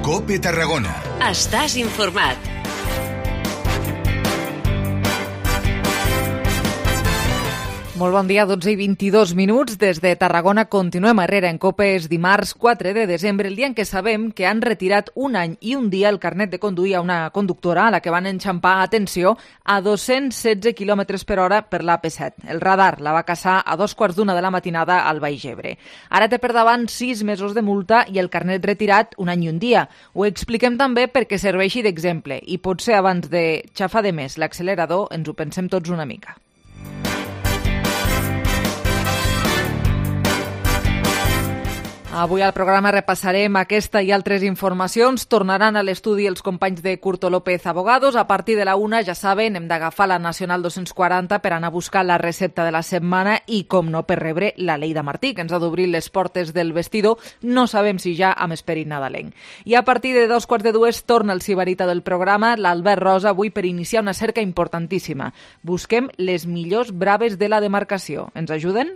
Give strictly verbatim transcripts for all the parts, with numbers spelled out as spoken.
COPE Tarragona. Estàs informat. Molt bon dia, dotze i vint-i-dos minuts. Des de Tarragona continuem arrere en COPE. És dimarts quatre de desembre, el dia en què sabem que han retirat un any i un dia el carnet de conduir a una conductora a la que van enxampar, atenció, a dos-cents setze quilòmetres per hora per l'A P set. El radar la va caçar a dos quarts d'una de la matinada al Baix Ebre. Ara té per davant sis mesos de multa i el carnet retirat un any i un dia. Ho expliquem també perquè serveixi d'exemple i potser abans de xafar de més l'accelerador ens ho pensem tots una mica. Avui al programa repassarem aquesta i altres informacions. Tornaran a l'estudi els companys de Curto López Abogados. A partir de la una, ja saben, hem d'agafar la Nacional dos-cents quaranta per anar a buscar la recepta de la setmana i, com no, per rebre la Lleida Martí, que ens ha d'obrir les portes del vestidor. No sabem si ja amb esperit nadalenc. I a partir de dos quarts de dues torna el sibarita del programa, l'Albert Rosa, avui per iniciar una cerca importantíssima. Busquem les millors braves de la demarcació. Ens ajuden?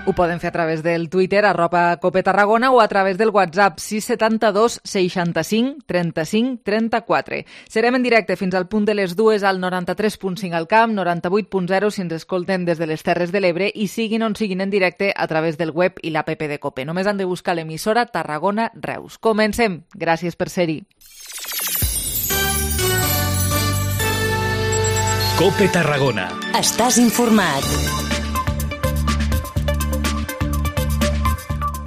Ho poden fer a través del Twitter, arroba Cope Tarragona, o a través del WhatsApp sis setanta dos seixanta-cinc trenta-cinc trenta-quatre. Serem en directe fins al punt de les dues al noranta-tres punt cinc al Camp, noranta-vuit punt zero si ens escolten des de les Terres de l'Ebre i siguin on siguin en directe a través del web i l'app de Cope. Només han de buscar l'emissora Tarragona Reus. Comencem. Gràcies per ser-hi. COPE Tarragona. Estàs informat.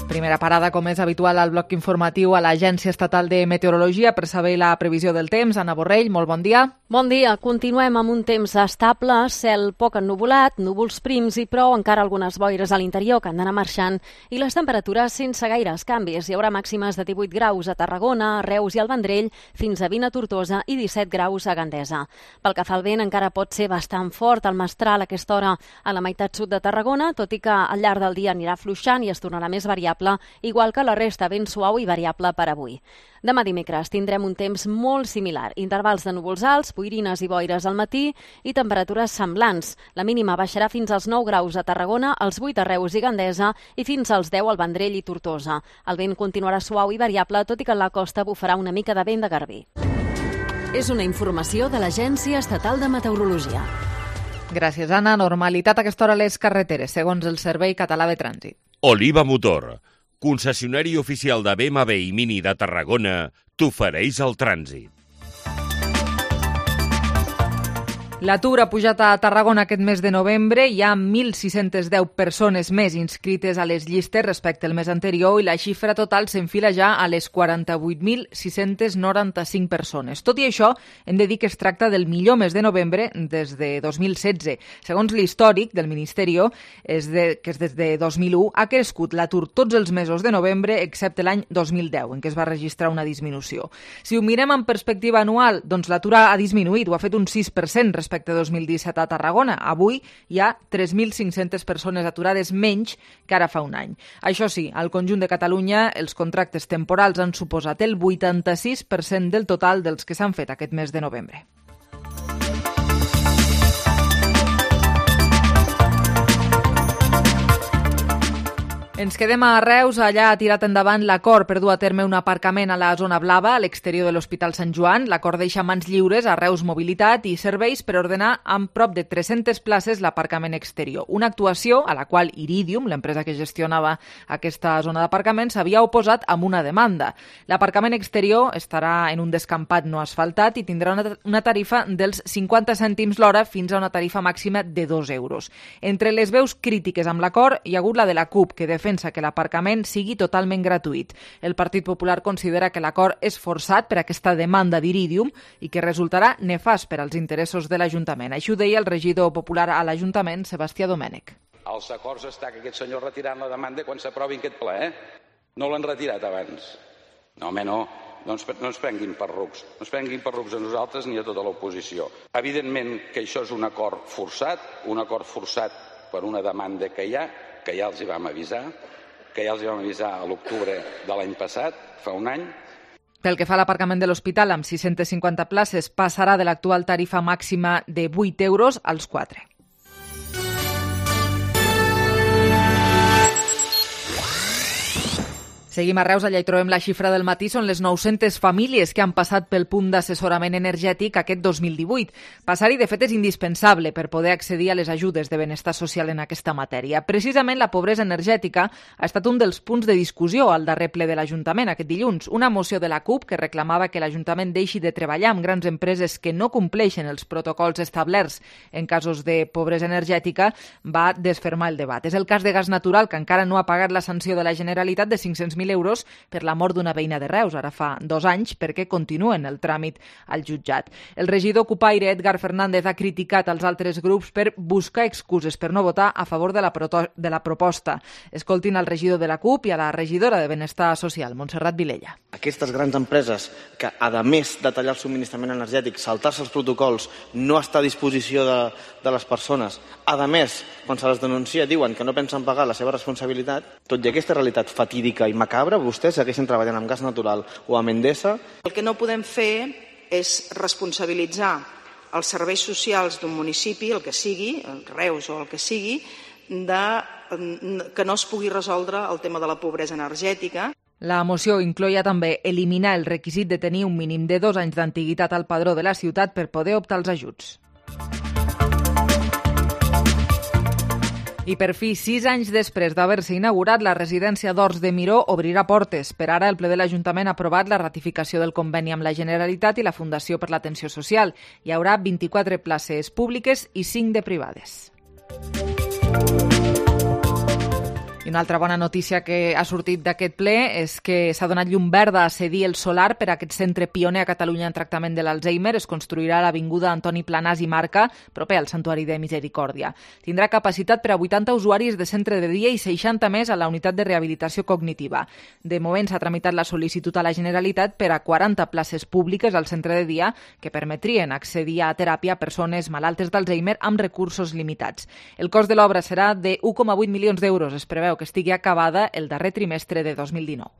Primera parada, com és habitual, al bloc informatiu a l'Agència Estatal de Meteorologia per saber la previsió del temps. Anna Borrell, molt bon dia. Bon dia. Continuem amb un temps estable, cel poc ennuvolat, núvols prims i prou, encara algunes boires a l'interior que han d'anar marxant i les temperatures sense gaires canvis. Hi haurà màximes de divuit graus a Tarragona, a Reus i al Vendrell, fins a vint a Tortosa i disset graus a Gandesa. Pel que fa al vent, encara pot ser bastant fort el mestral a aquesta hora a la meitat sud de Tarragona, tot i que al llarg del dia anirà afluixant i es tornarà més variable, igual que la resta, ben suau i variable per avui. Demà dimecres tindrem un temps molt similar, intervals de núvols alts, boirines i boires al matí i temperatures semblants. La mínima baixarà fins als nou graus a Tarragona, als vuit a Reus i Gandesa i fins als deu al Vendrell i Tortosa. El vent continuarà suau i variable, tot i que a la costa bufarà una mica de vent de garbí. És una informació de l'Agència Estatal de Meteorologia. Gràcies, Anna. Normalitat a aquesta hora a les carreteres, segons el Servei Català de Trànsit. Oliva Motor, concessionari oficial de B M W i Mini de Tarragona, t'ofereix el trànsit. L'atur ha pujat a Tarragona aquest mes de novembre. Hi ha mil sis-centes deu persones més inscrites a les llistes respecte al mes anterior i la xifra total s'enfila ja a les quaranta-vuit mil sis-cents noranta-cinc persones. Tot i això, hem de dir que es tracta del millor mes de novembre des de dos mil setze. Segons l'històric del Ministeri, és de, que és des de dos mil u, ha crescut l'atur tots els mesos de novembre, excepte l'any dos mil deu, en què es va registrar una disminució. Si ho mirem en perspectiva anual, doncs l'atur ha disminuït, ho ha fet un sis per cent respecte respecte a dos mil disset a Tarragona. Avui hi ha tres mil cinc-centes persones aturades menys que ara fa un any. Això sí, al conjunt de Catalunya els contractes temporals han suposat el vuitanta-sis per cent del total dels que s'han fet aquest mes de novembre. Ens quedem a Reus. Allà ha tirat endavant l'acord per dur a terme un aparcament a la zona blava, a l'exterior de l'Hospital Sant Joan. L'acord deixa mans lliures a Reus Mobilitat i Serveis per ordenar amb prop de tres-centes places l'aparcament exterior. Una actuació a la qual Iridium, l'empresa que gestionava aquesta zona d'aparcament, s'havia oposat amb una demanda. L'aparcament exterior estarà en un descampat no asfaltat i tindrà una, una tarifa dels cinquanta cèntims l'hora fins a una tarifa màxima de dos euros. Entre les veus crítiques amb l'acord hi ha hagut la de la CUP, que de defensa que l'aparcament sigui totalment gratuït. El Partit Popular considera que l'acord és forçat per aquesta demanda d'Iridium i que resultarà nefast per als interessos de l'Ajuntament. Això ho deia el regidor popular a l'Ajuntament, Sebastià Domènech. Els acords està que aquest senyor retirant la demanda quan s'aprovi aquest ple, eh? No l'han retirat abans. No, home, no. No ens, no ens prenguin per rucs. No ens prenguin per rucs a nosaltres ni a tota l'oposició. Evidentment que això és un acord forçat, un acord forçat per una demanda que hi ha, que ja els hi vam avisar, que ja els hi vam avisar a l'octubre de l'any passat, fa un any, Pel que fa a l'aparcament de l'hospital, amb sis-centes cinquanta places, passarà de l'actual tarifa màxima de vuit euros als quatre. Seguim a Reus, allà hi trobem la xifra del matí, són les nou-centes famílies que han passat pel punt d'assessorament energètic aquest dos mil divuit. Passar-hi, de fet, és indispensable per poder accedir a les ajudes de benestar social en aquesta matèria. Precisament la pobresa energètica ha estat un dels punts de discussió al darrer ple de l'Ajuntament aquest dilluns. Una moció de la CUP que reclamava que l'Ajuntament deixi de treballar amb grans empreses que no compleixen els protocols establerts en casos de pobresa energètica va desfermar el debat. És el cas de Gas Natural, que encara no ha pagat la sanció de la Generalitat de cinc-cents mil euros per la mort d'una veïna de Reus, ara fa dos anys, perquè continuen el tràmit al jutjat. El regidor cupaire Edgar Fernández ha criticat als altres grups per buscar excuses per no votar a favor de la, de la proposta. Escoltin al regidor de la CUP i a la regidora de Benestar Social, Montserrat Vilella. Aquestes grans empreses que, a més de tallar el subministrament energètic, saltar-se els protocols, no està a disposició de, de les persones, a més, quan se les denuncia, diuen que no pensen pagar la seva responsabilitat, tot i aquesta realitat fatídica i macabra, vostès segueixen treballant amb Gas Natural o amb Endesa. El que no podem fer és responsabilitzar els serveis socials d'un municipi, el que sigui, el Reus o el que sigui, de, que no es pugui resoldre el tema de la pobresa energètica. La moció incloïa també eliminar el requisit de tenir un mínim de dos anys d'antiguitat al padró de la ciutat per poder optar als ajuts. I per fi, sis anys després d'haver-se inaugurat, la residència d'Horts de Miró obrirà portes. Per ara, el ple de l'Ajuntament ha aprovat la ratificació del conveni amb la Generalitat i la Fundació per l'Atenció Social. Hi haurà vint-i-quatre places públiques i cinc de privades. I una altra bona notícia que ha sortit d'aquest ple és que s'ha donat llum verda a cedir el solar per a aquest centre pioner a Catalunya en tractament de l'Alzheimer. Es construirà a l'avinguda Antoni Planàs i Marca, proper al Santuari de Misericòrdia. Tindrà capacitat per a vuitanta usuaris de centre de dia i seixanta més a la unitat de rehabilitació cognitiva. De moment s'ha tramitat la sol·licitud a la Generalitat per a quaranta places públiques al centre de dia que permetrien accedir a teràpia a persones malaltes d'Alzheimer amb recursos limitats. El cost de l'obra serà de u coma vuit milions d'euros. Es preveu que estigui acabada el darrer trimestre de dos mil dinou.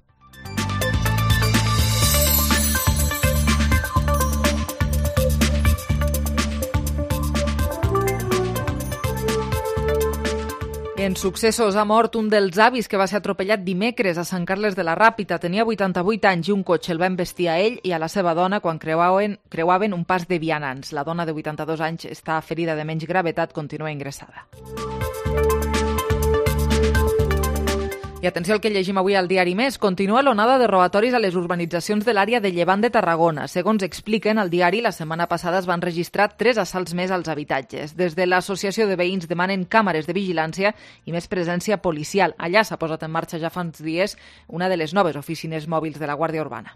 En successos ha mort un dels avis que va ser atropellat dimecres a Sant Carles de la Ràpita. Tenia vuitanta-vuit anys i un cotxe el va embestir a ell i a la seva dona quan creuaven, creuaven un pas de vianants. La dona de vuitanta-dos anys està ferida de menys gravetat, continua ingressada. I atenció al que llegim avui al diari Més. Continua l'onada de robatoris a les urbanitzacions de l'àrea de Llevant de Tarragona. Segons expliquen al diari, la setmana passada es van registrar tres assalts més als habitatges. Des de l'associació de veïns demanen càmeres de vigilància i més presència policial. Allà s'ha posat en marxa ja fa uns dies una de les noves oficines mòbils de la Guàrdia Urbana.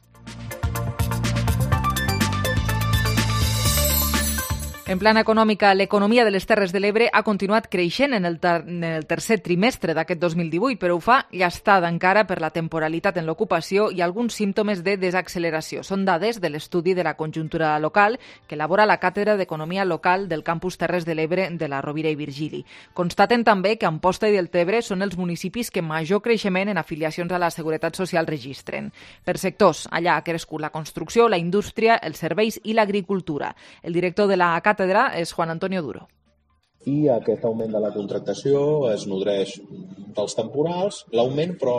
En plana econòmica, l'economia de les Terres de l'Ebre ha continuat creixent en el, ter en el tercer trimestre d'aquest dos mil divuit, però ho fa llastada encara per la temporalitat en l'ocupació i alguns símptomes de desacceleració. Són dades de l'estudi de la conjuntura local que elabora la Càtedra d'Economia Local del Campus Terres de l'Ebre de la Rovira i Virgili. Constaten també que Amposta i Deltebre són els municipis que major creixement en afiliacions a la Seguretat Social registren. Per sectors, allà ha crescut la construcció, la indústria, els serveis i l'agricultura. El director de la Càtedra és Juan Antonio Duro. I aquest augment de la contractació es nodreix dels temporals. L'augment, però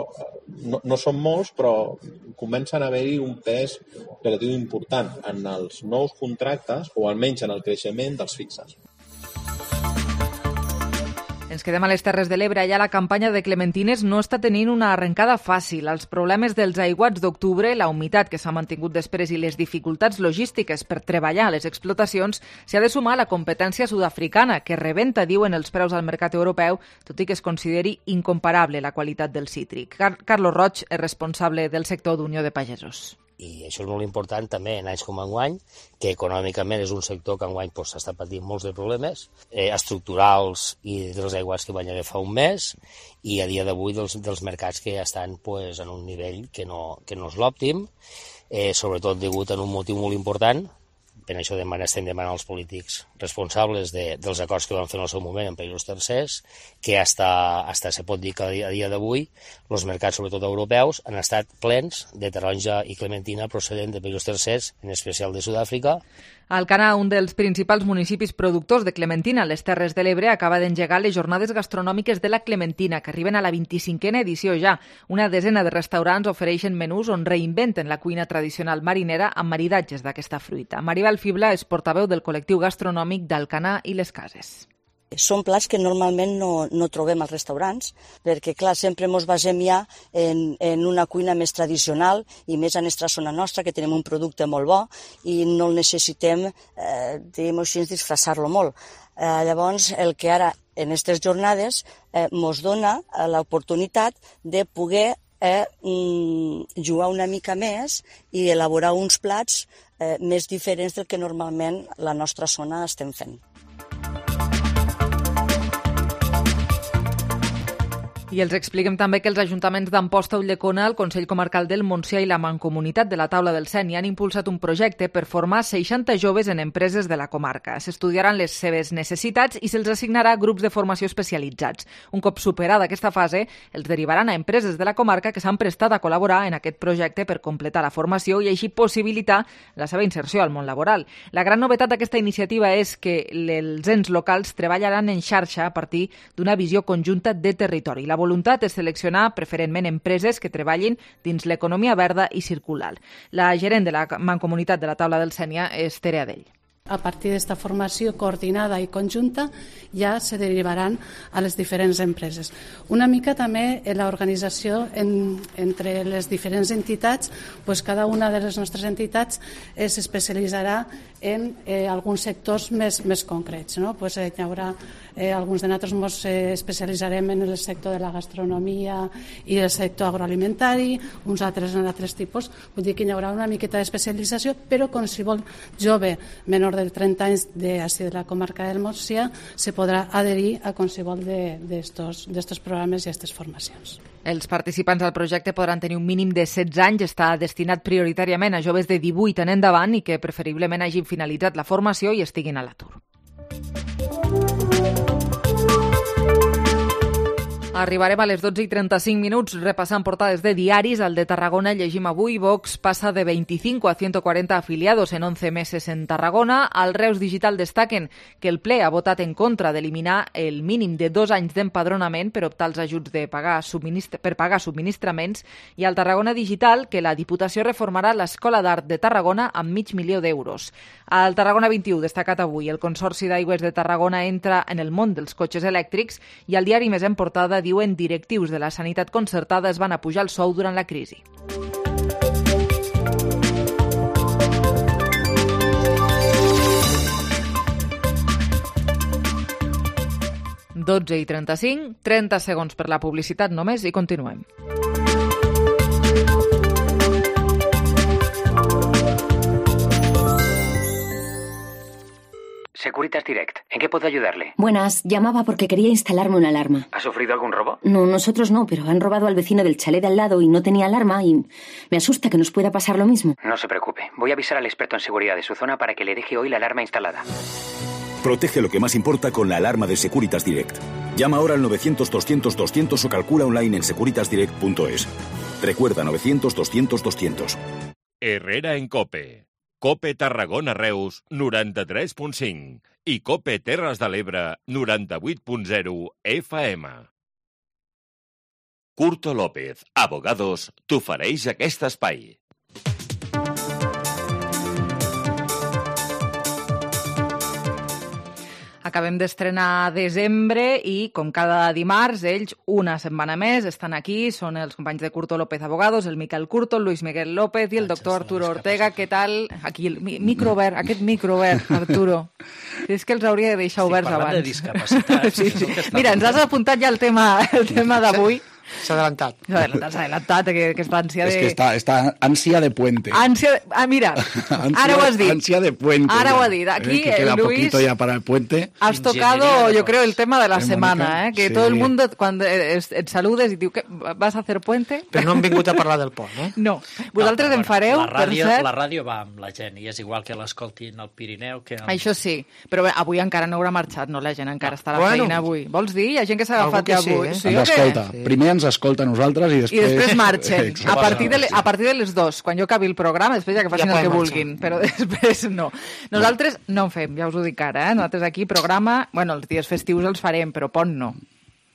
no, no són molts, però comencen a haver-hi un pes relatiu important en els nous contractes o almenys en el creixement dels fixes. Ens quedem a les Terres de l'Ebre. Allà la campanya de clementines no està tenint una arrencada fàcil. Els problemes dels aiguats d'octubre, la humitat que s'ha mantingut després i les dificultats logístiques per treballar a les explotacions s'hi ha de sumar la competència sud-africana, que rebenta, diuen, els preus al mercat europeu, tot i que es consideri incomparable la qualitat del cítric. Car Carlos Roig és responsable del sector d'Unió de Pagesos. I això és molt important també en anys com enguany, que econòmicament és un sector que enguany pues, està patint molts de problemes eh, estructurals i dels aiguats que van haver fa un mes i a dia d'avui dels, dels mercats que ja estan pues, en un nivell que no, que no és l'òptim, eh, sobretot degut a un motiu molt important Per això demana, estem demanant als polítics responsables de, dels acords que van fer en el seu moment en països tercers, que hasta, hasta se pot dir que a dia, a dia d'avui els mercats, sobretot europeus, han estat plens de taronja i clementina procedent de països tercers, en especial de Sud-àfrica. Alcanar, un dels principals municipis productors de clementina a les Terres de l'Ebre, acaba d'engegar les jornades gastronòmiques de la clementina, que arriben a la vint-i-cinquena edició ja. Una desena de restaurants ofereixen menús on reinventen la cuina tradicional marinera amb maridatges d'aquesta fruita. Maribel Fibla és portaveu del col·lectiu gastronòmic d'Alcanar i les Cases. Són plats que normalment no, no trobem als restaurants, perquè, clar, sempre ens basem ja en, en una cuina més tradicional i més a nostra zona nostra, que tenim un producte molt bo i no el necessitem, eh, diguem-ho així, disfressar-lo molt. Eh, llavors, el que ara, en aquestes jornades, eh, ens dona l'oportunitat de poder eh, jugar una mica més i elaborar uns plats eh, més diferents del que normalment la nostra zona estem fent. I els expliquem també que els ajuntaments d'Amposta, Ulldecona, el Consell Comarcal del Montsià i la Mancomunitat de la Taula del Sénia han impulsat un projecte per formar seixanta joves en empreses de la comarca. S'estudiaran les seves necessitats i se'ls assignarà grups de formació especialitzats. Un cop superada aquesta fase, els derivaran a empreses de la comarca que s'han prestat a col·laborar en aquest projecte per completar la formació i així possibilitar la seva inserció al món laboral. La gran novetat d'aquesta iniciativa és que els ens locals treballaran en xarxa a partir d'una visió conjunta de territori. La voluntat és seleccionar preferentment empreses que treballin dins l'economia verda i circular. La gerent de la Mancomunitat de la Taula del Sénia és Tere Adell. A partir d'esta formació coordinada i conjunta ja se derivaran a les diferents empreses. Una mica també en l'organització en, entre les diferents entitats, pues cada una de les nostres entitats eh, s'especialitzarà en eh, alguns sectors més, més concrets. No? Pues, eh, hi haurà eh, alguns de nosaltres ens eh, especialitzarem en el sector de la gastronomia i el sector agroalimentari, uns altres en altres tipus. Vull dir que hi haurà una miqueta d'especialització, però qualsevol jove menor de trenta anys de, de la comarca del Montsià se podrà adherir a qualsevol d'estos programes i aquestes formacions. Els participants al projecte podran tenir un mínim de setze anys, està destinat prioritàriament a joves de divuit en endavant i que preferiblement hagin finalitzat la formació i estiguin a l'atur. Arribarem a les dotze i trenta-cinc minuts repassant portades de diaris. Al de Tarragona llegim avui: Vox passa de veinticinco a ciento cuarenta afiliados en once meses en Tarragona. Al Reus Digital destaquen que el ple ha votat en contra d'eliminar el mínim de dos anys d'empadronament per optar als ajuts de pagar subministra- per pagar subministraments. I al Tarragona Digital que la Diputació reformarà l'Escola d'Art de Tarragona amb mig milió d'euros. Al Tarragona vint-i-u destacat avui: el Consorci d'Aigües de Tarragona entra en el món dels cotxes elèctrics i al diari Més en Portada diuen directius de la sanitat concertada es van apujar el sou durant la crisi. dotze i trenta-cinc, trenta segons per la publicitat només i continuem. Securitas Direct. ¿En qué puedo ayudarle? Buenas, llamaba porque quería instalarme una alarma. ¿Ha sufrido algún robo? No, nosotros no, pero han robado al vecino del chalet de al lado y no tenía alarma y me asusta que nos pueda pasar lo mismo. No se preocupe. Voy a avisar al experto en seguridad de su zona para que le deje hoy la alarma instalada. Protege lo que más importa con la alarma de Securitas Direct. Llama ahora al novecientos doscientos doscientos o calcula online en securitas direct punto es. Recuerda novecientos doscientos doscientos. Herrera en COPE. COPE Tarragona Reus noranta-tres punt cinc i COPE Terres de l'Ebre noranta-vuit punt zero F M. Curto López, Abogados, t'ofereix aquest espai. Acabem d'estrenar desembre i, com cada dimarts, ells, una setmana més, estan aquí. Són els companys de Curto López Abogados, el Miquel Curto, el Luis Miguel López i el doctor Arturo Ortega. Què tal? Aquí, el micro obert, aquest micro obert, Arturo. És que els hauria de deixar oberts abans. Estic parlant de discapacitats. Sí, sí. Mira, ens has apuntat ja el tema, el tema d'avui. S'ha adelantat. S'ha adelantat, s'ha adelantat, aquesta ànsia de... És que està, està ànsia de puente. Ànsia de... Ah, mira, Ansia, ara ho has dit. Ansia de puente. Ara ya. ho ha dit. Aquí, eh, que queda Luis, poquito ya para el puente. Has tocado, yo creo, el tema de la ¿Eh, semana, Mónica? ¿eh? Que Sí. todo el mundo, cuando et, et saludes i diu que vas a hacer puente... Però no hem vingut a parlar del pont, eh? No. Vosaltres no, en fareu, la ràdio, per cert... La ràdio va amb la gent, i és igual que l'escoltin al Pirineu que... Amb... Això sí, però bé, avui encara no haurà marxat, no? La gent encara no. està a la Bueno. feina avui. Vols dir? Hi ha gent que s'ha agafat ja avui. Sí, Sí, ens o què? escolta. Sí. Primer ens escolta a nosaltres i després... I després marxen. Exacte. A partir, de, le- a partir de les dues, quan jo acabi el programa, després ja que facin Ja el que poden vulguin. Però després no. Nosaltres no en fem, ja us ho dic ara. Eh? Nosaltres aquí programa... Bueno, els dies festius els farem, però pont no.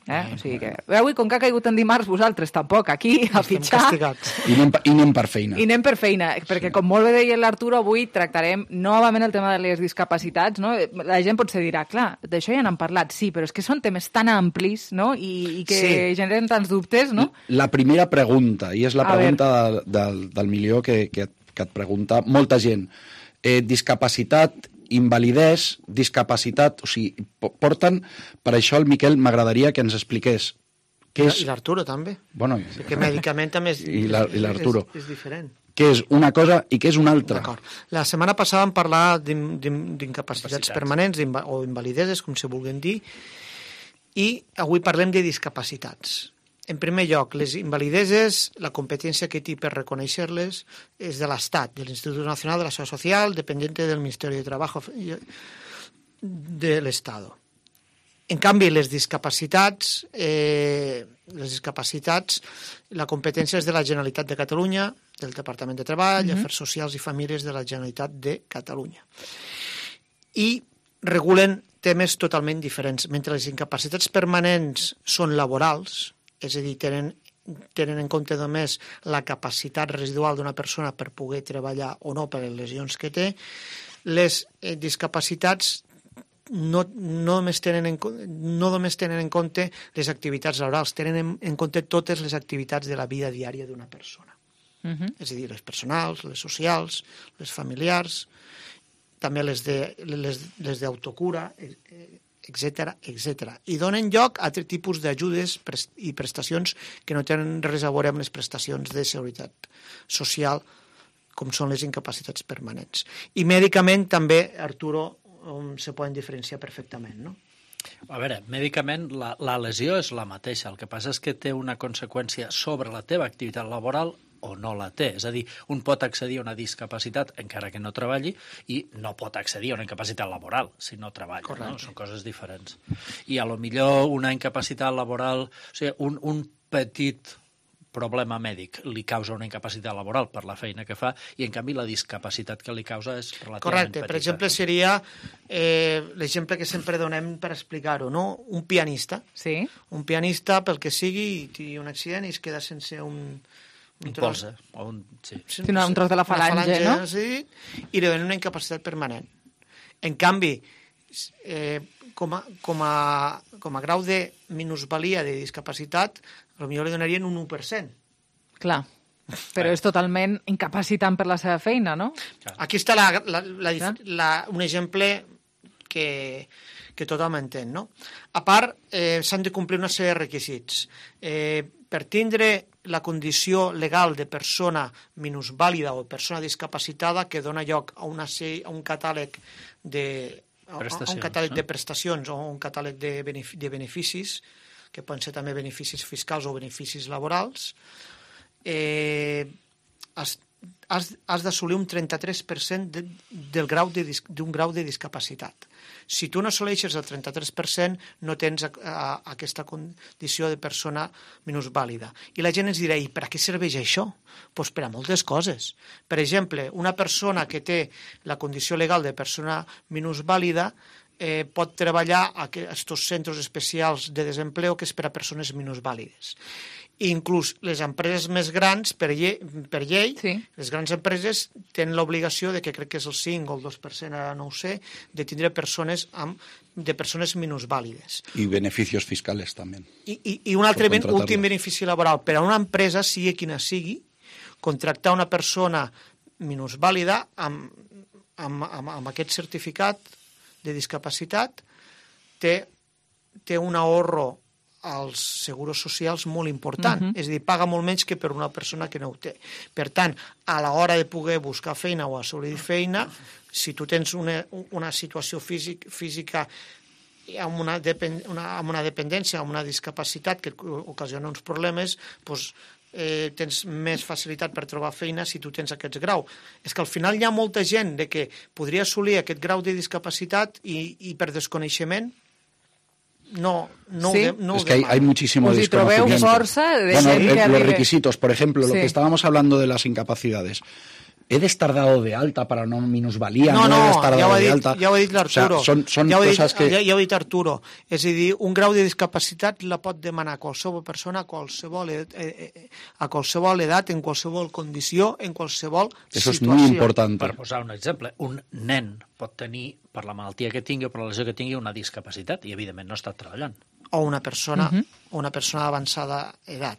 Eh? O sigui que... Avui, com que ha caigut en dimarts, vosaltres tampoc, aquí, a fitxar... I anem, I anem per feina. I anem per feina, perquè com molt bé deia l'Arturo, avui tractarem novament el tema de les discapacitats, no? La gent potser dirà, clar, d'això ja n'hem parlat, sí, però és que són temes tan amplis, no? I, i que Sí. generen tants dubtes, no? La primera pregunta, i és la A pregunta del, del, del milió que, que, que et pregunta molta gent. Eh, discapacitat, invalidesa, discapacitat... O sigui, po- porten... Per això el Miquel m'agradaria que ens expliqués què és... I l'Arturo també. Bueno, Perquè mèdicament també és, I la- i l'Arturo. és, és diferent. què és una cosa i què és una altra. D'acord. La setmana passada vam parlar d'in- d'in- d'incapacitats Capacitats. permanents d'inva- o invalideses, com se vulguin dir, i avui parlem de discapacitats. En primer lloc, les invalideses, la competència que té per reconèixer-les és de l'Estat, de l'Institut Nacional de la Seguridad Social, dependiente del Ministerio de Trabajo de l'Estado. En canvi, les discapacitats, eh, les discapacitats, la competència és de la Generalitat de Catalunya, del Departament de Treball, Mhm. Afers Socials i Famílies de la Generalitat de Catalunya. I regulen temes totalment diferents. Mentre les incapacitats permanents són laborals, és a dir, tenen, tenen en compte només la capacitat residual d'una persona per poder treballar o no per les lesions que té, les eh, discapacitats no, no, només tenen en, co- no només tenen en compte les activitats laborals, tenen en, en compte totes les activitats de la vida diària d'una persona. Mhm. És a dir, les personals, les socials, les familiars, també les de, les, les d'autocura, etcètera, etcètera. I donen lloc a altres tipus d'ajudes pres- i prestacions que no tenen res a veure amb les prestacions de seguretat social, com són les incapacitats permanents. I mèdicament també, Arturo, um, se poden diferenciar perfectament, no? A veure, mèdicament la, la lesió és la mateixa, el que passa és que té una conseqüència sobre la teva activitat laboral o no la té. És a dir, un pot accedir a una discapacitat encara que no treballi i no pot accedir a una incapacitat laboral si no treballa. Correcte. No? Són coses diferents. I a lo millor una incapacitat laboral, o sigui, un, un petit problema mèdic li causa una incapacitat laboral per la feina que fa i, en canvi, la discapacitat que li causa és relativament Correcte. petita. Per exemple, seria eh, l'exemple que sempre donem per explicar-ho, no? Un pianista. Sí. Un pianista, pel que sigui, té un accident i es queda sense un... Un polze, o un... Sí. Sí, una- un tros de la falange, no? Sí, i li donen una incapacitat permanent. En canvi, eh, com, a, com, a, com a grau de minusvalia de discapacitat, potser li donarien un u per cent. Clar. Però és totalment incapacitant per la seva feina, no? Aquí està la, la, la, dif- la, un exemple que, que tothom entén, no? A part, eh, s'han de complir una sèrie de requisits. Eh, per tindre la condició legal de persona minusvàlida o persona discapacitada que dona lloc a, una sèrie, a un catàleg de a, a un Prestacions, catàleg no? de prestacions o un catàleg de, benefic de beneficis, que poden ser també beneficis fiscals o beneficis laborals, eh, has, has, has d'assolir un trenta-tres per cent de, del grau de, dis- d'un grau de discapacitat. Si tu no assoleixes el trenta-tres per cent, no tens a, a, aquesta condició de persona minusvàlida. I la gent ens dirà, i per a què serveix això? Pues per a moltes coses. Per exemple, una persona que té la condició legal de persona minusvàlida eh, pot treballar a aquests centres especials de desempleo que és per a persones minusvàlides. I inclús les empreses més grans, per llei, per llei sí. les grans empreses tenen l'obligació de que crec que és el cinc o el dos per cent, ara no ho sé, de tindre persones amb, de persones minusvàlides. Y beneficios fiscales también. I, i, i un altre Per ben, contratar-lo. últim benefici laboral. Per a una empresa, sigui quina sigui, contractar una persona minusvàlida amb, amb, amb, amb aquest certificat de discapacitat té, té un ahorro als seguros socials molt important. Mhm. És a dir, paga molt menys que per una persona que no ho té. Per tant, a l'hora de poder buscar feina o assolir feina, si tu tens una, una situació físic, física amb una, depen, una, amb una dependència, amb una discapacitat que ocasiona uns problemes, doncs, eh, tens més facilitat per trobar feina si tu tens aquests grau. És que al final hi ha molta gent de que podria assolir aquest grau de discapacitat i, i per desconeixement no, no, ¿Sí? de, no es que hay, hay muchísimo Us hi trobeu desconocimiento. força de Bueno, gent eh, que los arribe- requisitos, por ejemplo, Sí. lo que estábamos hablando de las incapacidades. ¿He de estar dado de alta para una minusvalía? No, ¿No, he de no, estar ja dado ho ha de dit, alta? ja ho ha dit l'Arturo. O sea, son son ja ho ha dit, cosas que... ja, ja ho ha dit Arturo. És a dir, un grau de discapacitat la pot demanar qualsevol persona a qualsevol, ed- eh, eh, a qualsevol edat, en qualsevol condició, en qualsevol Eso es situació. muy importante. Per posar un exemple, un nen pot tenir, per la malaltia que tingui o per la lesió que tingui, una discapacitat i, evidentment, no està treballant. O una persona, Mhm. o una persona d'avançada edat.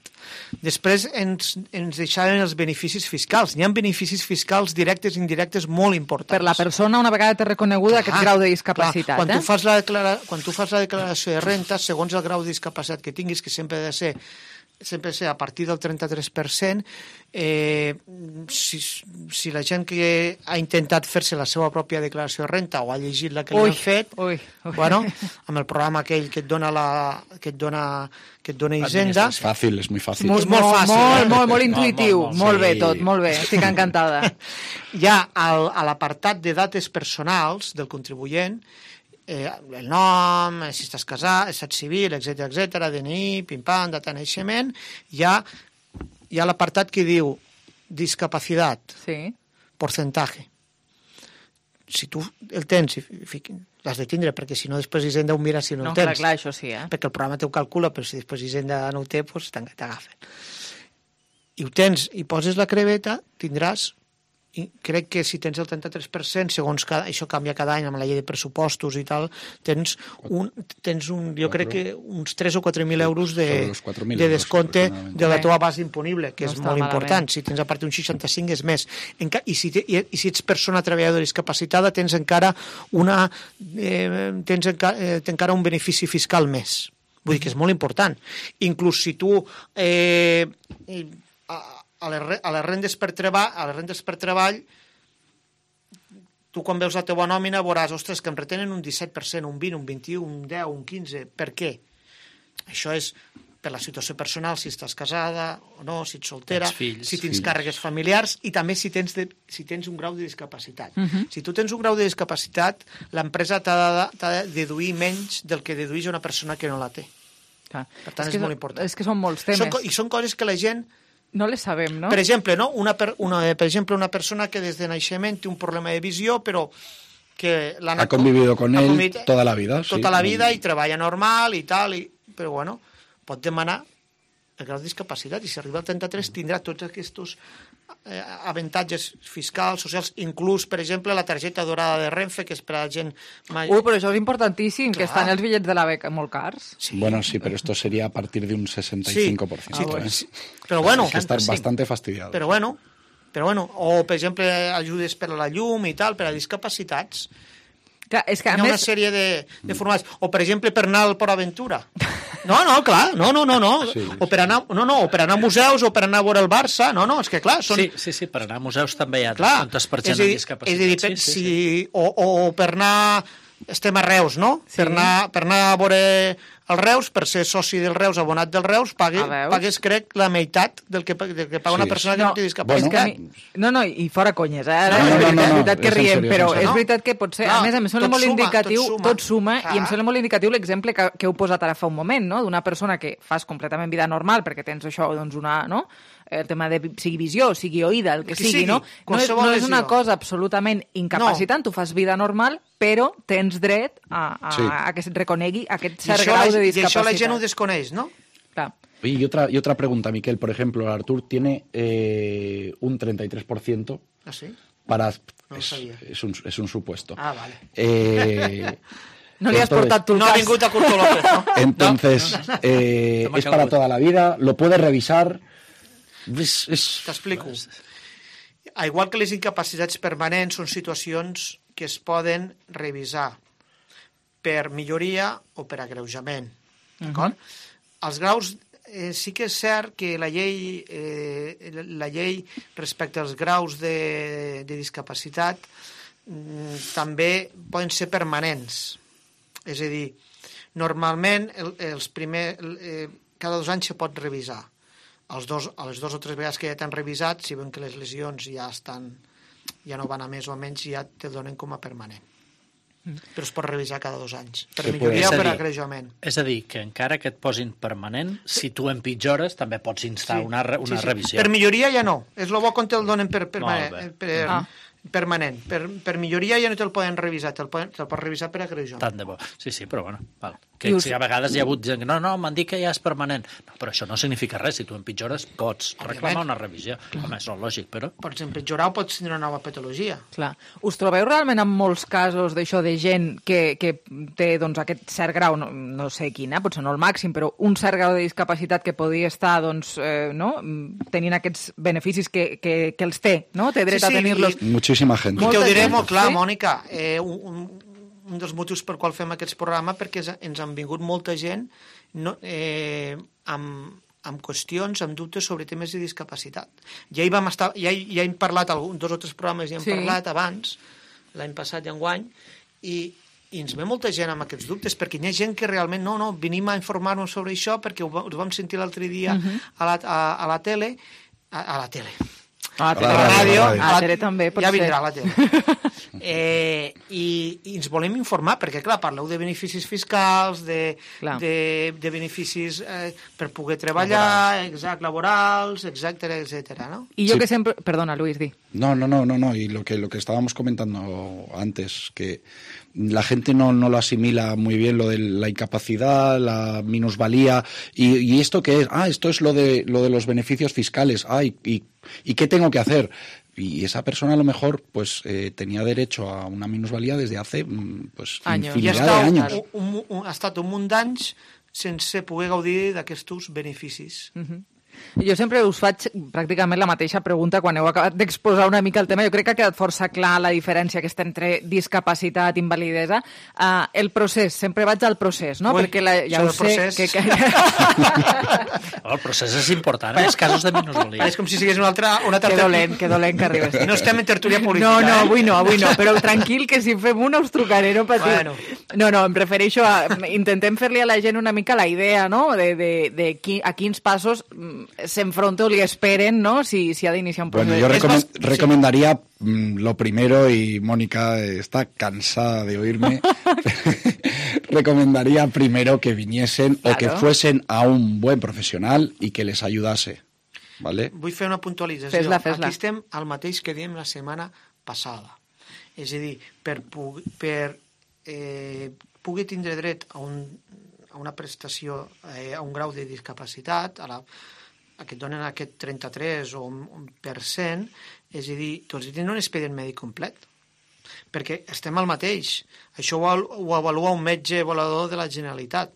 Després ens, ens deixaven els beneficis fiscals. Hi ha beneficis fiscals directes i indirectes molt importants. Per la persona, una vegada té reconeguda aquest grau de Clar, discapacitat. quan, eh? tu fas la declara... quan tu fas la declaració de renta, segons el grau de discapacitat que tinguis, que sempre ha de ser sempre ser a partir del trenta-tres per cent, eh, si, si la gent que ha intentat fer-se la seva pròpia declaració de renta o ha llegit la que li Ui, han fet, ui, ui. bueno, amb el programa aquell que et dona, la, que et dona, que et dona Hisenda, Es fácil, es muy fácil. Molt, molt fàcil. Molt, eh? molt, molt intuïtiu. molt, molt, Molt bé sí. tot, molt bé. Estic encantada. Hi ha al, a l'apartat de dates personals del contribuent, eh, el nom, si estàs casat, estat civil, etcètera, etcètera, D N I, pim-pam, data de naixement, hi ha, hi ha l'apartat que diu discapacitat, sí. porcentaje. Si tu el tens, l'has de tindre, perquè si no després Hisenda ho mira si no, No, el tens. clar, clar, això sí, eh? Perquè el programa t'ho calcula, però si després Hisenda no ho té, doncs t'agafen. I ho tens i poses la creveta, tindràs, i crec que si tens el trenta-tres per cent, segons cada, això canvia cada any amb la llei de pressupostos i tal, tens un, tens un jo crec que uns tres o quatre mil euros de, Sobre los cuatro mil de euros, descompte aproximadamente. de la teva base imponible, que No és està molt malament. important. Si tens a part d'un seixanta-cinc és més. Enca i, si te, i, I si ets persona treballadora discapacitada tens encara una eh, tens enca eh, tens encara un benefici fiscal més. Vull dir que és molt important. Inclús si tu eh, a, a, les, re- a les rendes per treball, a les rendes per treball tu quan veus la teva nòmina veuràs, ostres, que em retenen un disset per cent, un vint, un vint-i-u, un deu, un quinze. Per què? Això és per la situació personal, si estàs casada o no, si ets soltera, Tens fills, si tens fills. càrregues familiars i també si tens, de, si tens un grau de discapacitat. Mhm. Si tu tens un grau de discapacitat, l'empresa t'ha de, t'ha de deduir menys del que dedueix una persona que no la té. Clar. Per tant, és, que molt són- important. És que són molts temes. Són, co- I són coses que la gent No les sabem, no? per exemple, no? una, per, una, per exemple, una persona que des de naixement té un problema de visió, però que l'ha Ha convivido con ha él convivit toda la vida. tota sí. la vida i treballa normal i tal, i, però bueno, pot demanar el grau de discapacitat i si arriba al trenta-tres tindrà tots aquests eh, avantatges fiscals, socials, inclús, per exemple, la targeta dorada de Renfe, que és per a la gent... Mai... Ui, però això és importantíssim, que Clar. estan els bitllets de la beca molt cars. Sí. Bueno, sí, pero esto sería a partir de un sesenta y cinco por ciento. Sí, ¿eh? sí. Però bueno, Hay que estar sí. bastante fastidiado. Però bueno, però bueno, o per exemple ajudes per a la llum i tal, per a discapacitats. Clar, és que Hi a ha una més... sèrie de, de formats. O per exemple per anar al Port Aventura. No, no, clar, no, no, no, no. Sí, o per anar, no, no, o per anar a museus o per anar a veure el Barça. No, no, és que clar, són... Sí, sí, sí, per anar a museus també hi ha clar, descomptes per és gent a dir, amb discapacitat. És a dir, per, sí, sí, si, sí. O, o per anar... Estem a Reus, no? Sí. Per, anar, per anar a veure el Reus, per ser soci del Reus, abonat del Reus, pague, A veus? pagues, crec, la meitat del que, del que paga una Sí. persona que No, no, té és discapacitat. que a mi... No, no, i fora conyes, eh? Ara, No, no, és no, veritat, no, és no, veritat que és en riem, sèrio, però és en és sèrio. veritat que pot ser... Clar, a més, em sembla tot molt suma, indicatiu, tot suma. tot suma, i em Clar. sembla molt indicatiu l'exemple que, que heu posat ara fa un moment, no? D'una persona que fas completament vida normal, perquè tens això, doncs, una... no? El tema de sigui visió, sigui oïda, el que, Que sigui, sigui, no? No és, qualsevol no és una lesió. cosa absolutament incapacitant, tu fas vida normal, però tens dret a, a, Sí. a que se't reconegui aquest I cert això, grau la, de I discapacitat. això la gent ho desconeix, no? Clar. Oye, y otra, y otra pregunta, Miquel. Por ejemplo, Artur tiene eh, un treinta y tres por ciento Ah, sí? para... No lo es, sabía. es un, es un supuesto. Ah, vale. Eh, No li has entonces- portat tu el No ha cas. vingut a Curto López, no? Entonces, eh, No me es acabo para de- toda la vida, lo puedes revisar. Es, es- T'explico. A igual que les incapacitats permanents són situacions que es poden revisar per milloria o per agreujament. D'acord? els graus, eh, sí que és cert que la llei, eh, la llei respecte als graus de, de discapacitat mm, també poden ser permanents. És a dir, normalment el, els primer, eh, cada dos anys se pot revisar. Els dos, a les dues o tres vegades que ja t'han revisat, si ven que les lesions ja estan, ja no van a més o a menys, ja te donen com a permanent. Mm. Però es pot revisar cada dos anys. Per que milloria o per dir, agreujament. És a dir, que encara que et posin permanent, sí. si tu empitjores, també pots instar sí. una, una sí, sí. revisió. Per milloria ja no. És el bo quan te'l donen per, permanent. Per, ah. permanent. Per, per milloria ja no te'l poden revisar, te'l poden, te pots revisar per agreujament. Tant de bo. Sí, sí, però bueno, val. Que us... si a vegades hi ha hagut gent que no, no, m'han dit que ja és permanent. No, però això no significa res. Si tu empitjores, pots reclamar una revisió. Home, és lògic, però... Pots empitjorar o pots tenir una nova patologia. Clar. Us trobeu realment en molts casos d'això de gent que, que té doncs, aquest cert grau, no, no sé quin, eh? Potser no el màxim, però un cert grau de discapacitat que podria estar doncs, eh, no? tenint aquests beneficis que, que, que els té, no? Té dret sí, sí, a tenir-los. I... Muchíssima gent. I te ho diré molt clar, sí? Mònica, eh, un, un, un dels motius per qual fem aquests programes perquè ens han vingut molta gent no, eh, amb, amb qüestions, amb dubtes sobre temes de discapacitat. Ja hi vam estar, ja, ja hem parlat, algun, dos o tres programes ja hem sí. parlat abans, l'any passat i enguany, i, i ens ve molta gent amb aquests dubtes, perquè hi ha gent que realment, no, no, venim a informar-nos sobre això perquè ho, ho vam sentir l'altre dia uh -huh. a, la, a, a la tele, a, a la tele, a la, a la ràdio, a la tele també, ja vindrà a la tele. Eh, i, i ens volem informar, perquè clar, parleu de beneficis fiscals, de, de, de beneficis eh, per poder treballar, exact, laborals, etcètera, etcètera, ¿no? Y yo sí. que siempre... Perdona, Luis, di. No, no, no, no, no. Y lo que, lo que estábamos comentando antes, que la gente no, no lo asimila muy bien, lo de la incapacidad, la minusvalía, y, y esto que es, ah, esto es lo de, lo de los beneficios fiscales, ah, y, y, ¿y qué tengo que hacer? Y esa persona a lo mejor pues eh, tenía derecho a una minusvalía desde hace pues años. infinidad de años. Un, un, un, ha estat un munt d'anys sense poder gaudir d'aquests beneficis. Uh-huh. Jo sempre us faig pràcticament la mateixa pregunta quan heu acabat d'exposar una mica el tema. Jo crec que ha quedat força clar la diferència aquesta entre discapacitat i invalidesa. Uh, el procés, sempre vaig al procés, no? Ui, perquè la, ja ho sé... Que, que... oh, el procés és important, en els casos de minusvalia. És com si sigués una altra... Una que dolent, que dolent que arribes. No estem en tertúlia política. No, no, eh? avui no, avui no, però tranquil, que si fem una us trucaré, no patiu. Bueno. No, no, em refereixo a... Intentem fer-li a la gent una mica la idea, no?, de, de, de qui, a quins passos s'enfronta o li esperen, ¿no?, si, si ha d'iniciar un procés. Bueno, yo recom recomendaría mm, lo primero, y Mónica está cansada de oírme, recomendaría primero que viniesen claro. o que fuesen a un buen profesional y que les ayudase, ¿vale? Vull fer una puntualització. Fes-la, fes-la. Aquí estem al mateix que diem la setmana passada. És a dir, per, per eh, poder tindre dret a, un, a una prestació, eh, a un grau de discapacitat, a la a que et donen aquest trenta-tres o un per cent, és a dir, tu has de tenir un expedient mèdic complet, perquè estem al mateix. Això ho, ho avalua un metge avaluador de la Generalitat,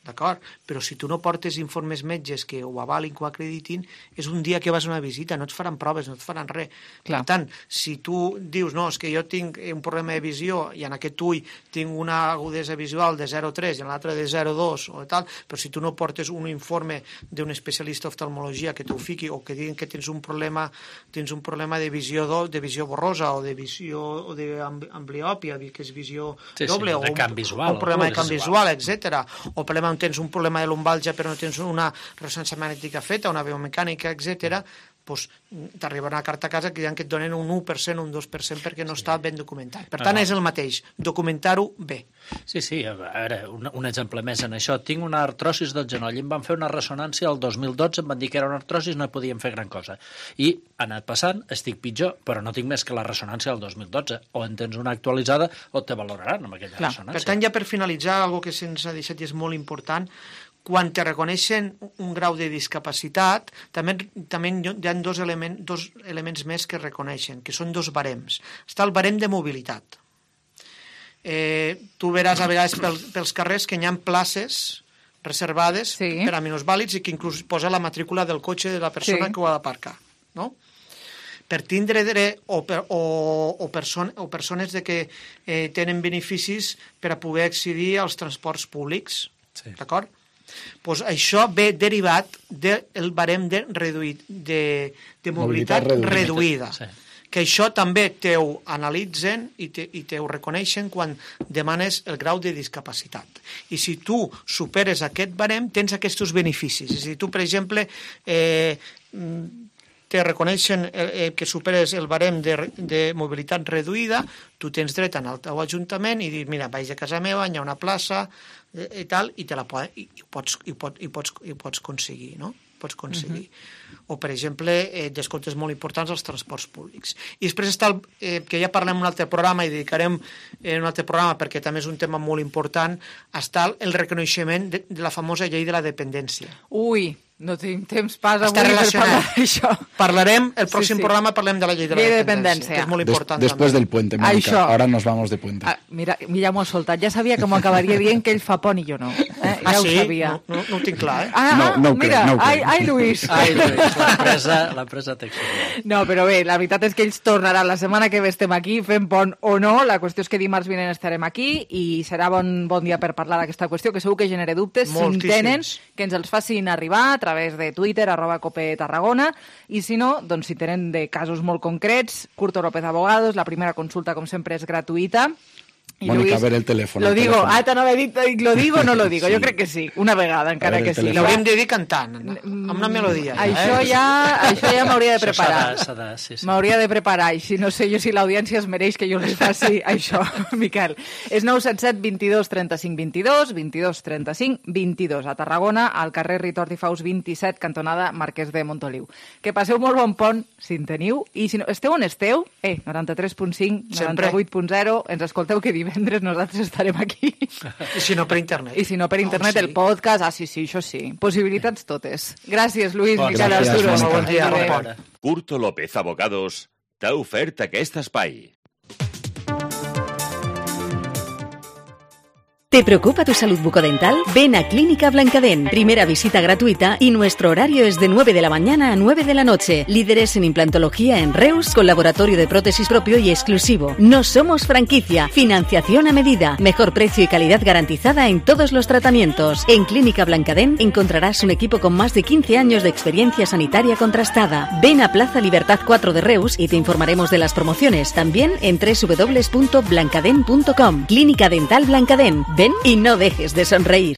d'acord? Però si tu no portes informes metges que ho avalin, que ho acreditin, és un dia que vas a una visita, no et faran proves, no et faran res. Clar. Per tant, si tu dius, no, és que jo tinc un problema de visió i en aquest ull tinc una agudesa visual de zero coma tres i en l'altre de zero coma dos o tal, però si tu no portes un informe d'un especialista d'oftalmologia que t'ho fiqui o que diguen que tens un problema tens un problema de visió do, de visió borrosa o de visió o d'ambliòpia, que és visió sí, doble, sí, o un, visual, un problema de camp visual, etcètera, o problema tens un problema de lumbalgia però no tens una ressonància magnètica feta, una biomecànica, etcètera, doncs t'arribarà una carta a casa que diran que et donen un u per cent, un dos per cent perquè no està ben documentat. Per tant, és el mateix, documentar-ho bé. Sí, sí, a veure, un, un exemple més en això. Tinc una artrosis del genoll, em van fer una ressonància el dos mil dotze, em van dir que era una artrosis, no podíem fer gran cosa. I ha anat passant, estic pitjor, però no tinc més que la ressonància del dos mil dotze. O en tens una actualitzada o te valoraran amb aquella Clar. ressonància. Per tant, ja per finalitzar, algo que se'ns ha deixat i és molt important, quan te reconeixen un grau de discapacitat, també, també hi ha dos, element, dos elements més que reconeixen, que són dos barems. Està el barem de mobilitat. Eh, tu veràs a vegades pel, pels carrers que hi ha places reservades sí. per a minusvàlids i que inclús posa la matrícula del cotxe de la persona sí. que ho ha d'aparcar, no? Per tindre dret o, per, o, o, person, o persones de que eh, tenen beneficis per a poder accedir als transports públics, sí. d'acord? Pues això ve derivat del barem de, reduït, de, de mobilitat, mobilitat reduïda. Sí. Que això també t'ho analitzen i te, i t'ho reconeixen quan demanes el grau de discapacitat. I si tu superes aquest barem, tens aquests beneficis. Si tu, per exemple, eh, te reconeixen eh, que superes el barem de, de mobilitat reduïda, tu tens dret a anar al teu ajuntament i dir, mira, vaig a casa meva, hi ha una plaça eh, i tal, i, te la po i, i, pots, i, pot, i, pots, i pots aconseguir, no? Pots aconseguir. Uh-huh. O, per exemple, eh, descomptes molt importants als transports públics. I després està el, eh, que ja parlem en un altre programa i dedicarem en un altre programa perquè també és un tema molt important, està el reconeixement de, de la famosa llei de la dependència. Ui, no tenim temps pas avui per parlar d'això. Parlarem, el pròxim sí, sí. programa parlem de la llei de la llei dependència, de que és molt important. Des, després també. del puente, Mónica. Això. Ahora nos vamos de puente. Ah, mira, mira, m'ho ha soltat. Ja sabia que m'ho acabaria dient que ell fa pont i jo no. Eh? Ja ah, ho sí? sabia. No, no, no ho tinc clar, eh? Ah, no, no ho mira, crec, no ho ai, crec. ai, Lluís. Ai, Lluís, l'empresa, l'empresa textil. No, però bé, la veritat és que ells tornaran la setmana que ve estem aquí fent pont o no. La qüestió és que dimarts vinent estarem aquí i serà bon, bon dia per parlar d'aquesta qüestió, que segur que genera dubtes. Moltíssims. Si en tenen, que ens els facin arribar a través de Twitter, arroba Cope Tarragona, i si no, doncs si tenen de casos molt concrets, Curto López Abogados, la primera consulta, com sempre, és gratuïta. I Mónica, Luis, a ver el teléfono. Lo el digo, teléfono. ah, t'anava a dir, ¿lo digo o no lo digo? Sí. Jo crec que sí, una vegada, encara que sí. L'hauríem de dir cantant, amb una melodia. Mm, això ja, això ja m'hauria de preparar. S'ha de, sí, sí. M'hauria de preparar, i si no sé jo si l'audiència es mereix que jo les faci això, Miquel. És nou set set vint-i-dos trenta-cinc vint-i-dos, vint-i-dos trenta-cinc vint-i-dos, a Tarragona, al carrer Ritor i Faus vint-i-set, cantonada Marquès de Montoliu. Que passeu molt bon pont, si en teniu, i si no, esteu on esteu, eh, noranta-tres punt cinc, noranta-vuit punt zero, ens escolteu que divendres nosaltres estarem aquí. I si no per internet. I si no per internet, oh, sí. El podcast, ah, sí, sí, això sí. Possibilitats totes. Gràcies, Luis, bon, Miquel Arturo. Bon dia. Bon dia. Curto López Abogados t'ha ofert aquest espai. ¿Te preocupa tu salud bucodental? Ven a Clínica Blancadent. Primera visita gratuita y nuestro horario es de nueve de la mañana a nueve de la noche. Líderes en implantología en Reus, con laboratorio de prótesis propio y exclusivo. No somos franquicia. Financiación a medida. Mejor precio y calidad garantizada en todos los tratamientos. En Clínica Blancadent encontrarás un equipo con más de quince años de experiencia sanitaria contrastada. Ven a Plaza Libertad cuatro de Reus y te informaremos de las promociones. También en doble u doble u doble u punto blancadent punto com. Clínica Dental Blancadent. Ven i no dejes de somreír.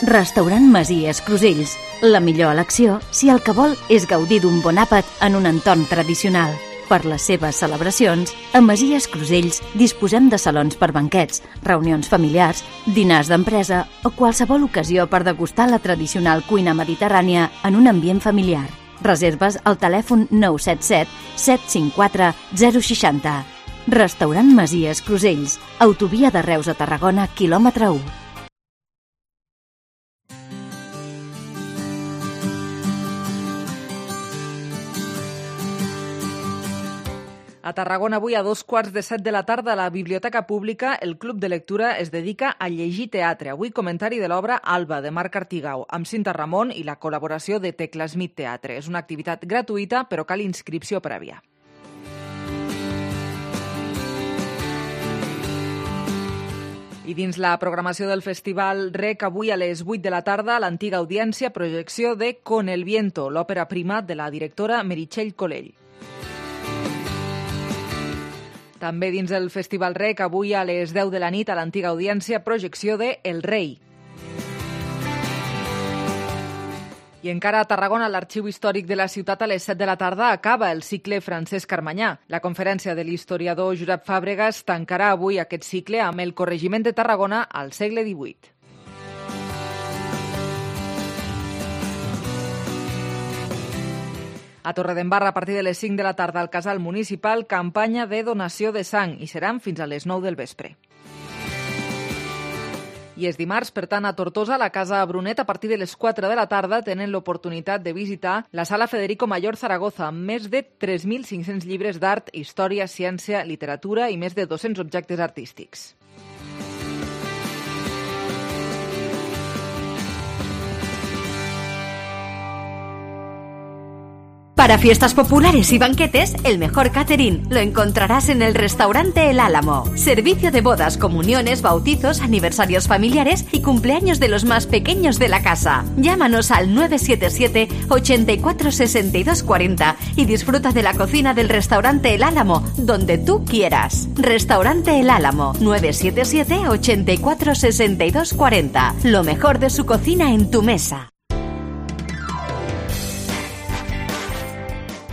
Restaurant Masies Crusells. La millor elecció si el que vol és gaudir d'un bon àpat en un entorn tradicional. Per les seves celebracions, a Masies Crusells disposem de salons per banquets, reunions familiars, dinars d'empresa o qualsevol ocasió per degustar la tradicional cuina mediterrània en un ambient familiar. Reserves al telèfon nou set set set cinc quatre zero sis zero. Restaurant Masies Crusells, autovia de Reus a Tarragona, quilòmetre u. A Tarragona avui a dos quarts de set de la tarda a la Biblioteca Pública el Club de Lectura es dedica a llegir teatre. Avui comentari de l'obra Alba, de Marc Artigau, amb Cinta Ramon i la col·laboració de Tecla Smith Teatre. És una activitat gratuïta, però cal inscripció prèvia. I dins la programació del Festival Rec, avui a les vuit de la tarda, l'antiga audiència, projecció de Con el viento, l'òpera prima de la directora Meritxell Colell. També dins del Festival Rec, avui a les deu de la nit, a l'antiga audiència, projecció de El rei. I encara a Tarragona, l'Arxiu Històric de la ciutat, a les set de la tarda acaba el cicle Francesc Carmanyà. La conferència de l'historiador Josep Fàbregas tancarà avui aquest cicle amb el corregiment de Tarragona al segle divuit. A Torredembarra, a partir de les cinc de la tarda al Casal Municipal, campanya de donació de sang, i seran fins a les nou del vespre. I és dimarts, per tant, a Tortosa, a la Casa Brunet, a partir de les quatre de la tarda, tenen l'oportunitat de visitar la Sala Federico Mayor Zaragoza, amb més de tres mil cinc-cents llibres d'art, història, ciència, literatura i més de dos-cents objectes artístics. Para fiestas populares y banquetes, el mejor catering lo encontrarás en el restaurante El Álamo. Servicio de bodas, comuniones, bautizos, aniversarios familiares y cumpleaños de los más pequeños de la casa. Llámanos al nueve siete siete, ochenta y cuatro, sesenta y dos cuarenta y disfruta de la cocina del restaurante El Álamo, donde tú quieras. Restaurante El Álamo, nueve siete siete, ochenta y cuatro, sesenta y dos cuarenta. Lo mejor de su cocina en tu mesa.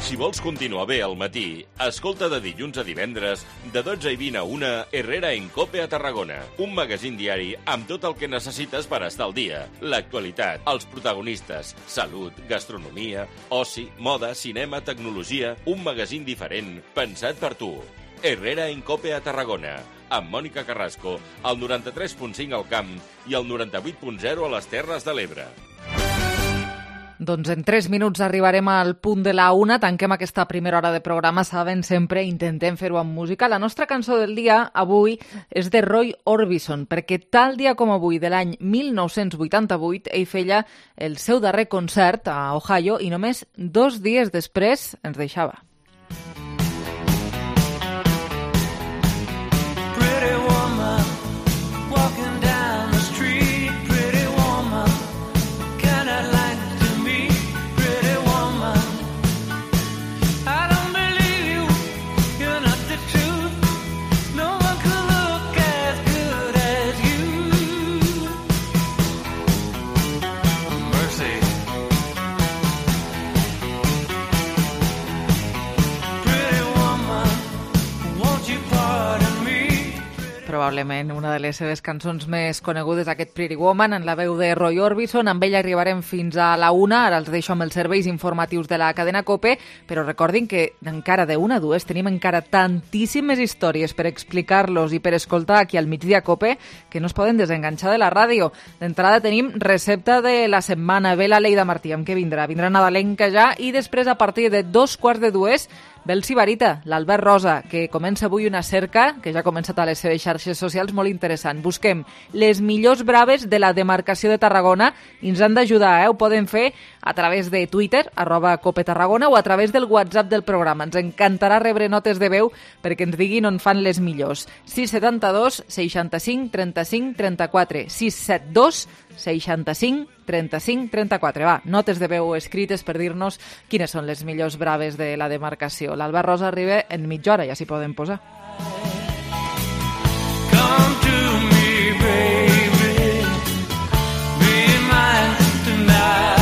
Si vols continuar bé al matí, escolta de dilluns a divendres, de dotze i vint a una, Herrera en Cope a Tarragona. Un magazín diari amb tot el que necessites per estar al dia. L'actualitat, els protagonistes, salut, gastronomia, oci, moda, cinema, tecnologia... Un magazín diferent, pensat per tu. Herrera en Cope a Tarragona, amb Mònica Carrasco, al noranta-tres punt cinc al Camp i al noranta-vuit punt zero a les Terres de l'Ebre. Doncs en tres minuts arribarem al punt de la una. Tanquem aquesta primera hora de programa. Saben, sempre intentem fer-ho amb música. La nostra cançó del dia avui és de Roy Orbison, perquè tal dia com avui de l'any mil nou-cents vuitanta-vuit ell feia el seu darrer concert a Ohio i només dos dies després ens deixava. Probablement una de les seves cançons més conegudes, aquest Pretty Woman, en la veu de Roy Orbison. Amb ella arribarem fins a la una. Ara els deixo amb els serveis informatius de la cadena COPE, però recordin que encara de una a dues tenim encara tantíssimes històries per explicar-los i per escoltar aquí al Migdia COPE que no es poden desenganxar de la ràdio. D'entrada tenim recepta de la setmana. Ve la Leida Martí, amb què vindrà? Vindrà nadalenca ja, i després a partir de dos quarts de dues ve el Sibarita, l'Albert Rosa, que comença avui una cerca, que ja ha començat a les seves xarxes socials, molt interessant. Busquem les millors braves de la demarcació de Tarragona i ens han d'ajudar, eh? Ho poden fer a través de Twitter, arroba Cope Tarragona, o a través del WhatsApp del programa. Ens encantarà rebre notes de veu perquè ens diguin on fan les millors. sis setanta dos, seixanta-cinc, trenta-cinc, trenta-quatre, sis set dos, seixanta-cinc, trenta-cinc, trenta-quatre. Va, notes de veu escrites per dir-nos quines són les millors braves de la demarcació. L'Albert Rosa arriba en mitja hora, ja s'hi poden posar. Come to me, baby, be mine tonight.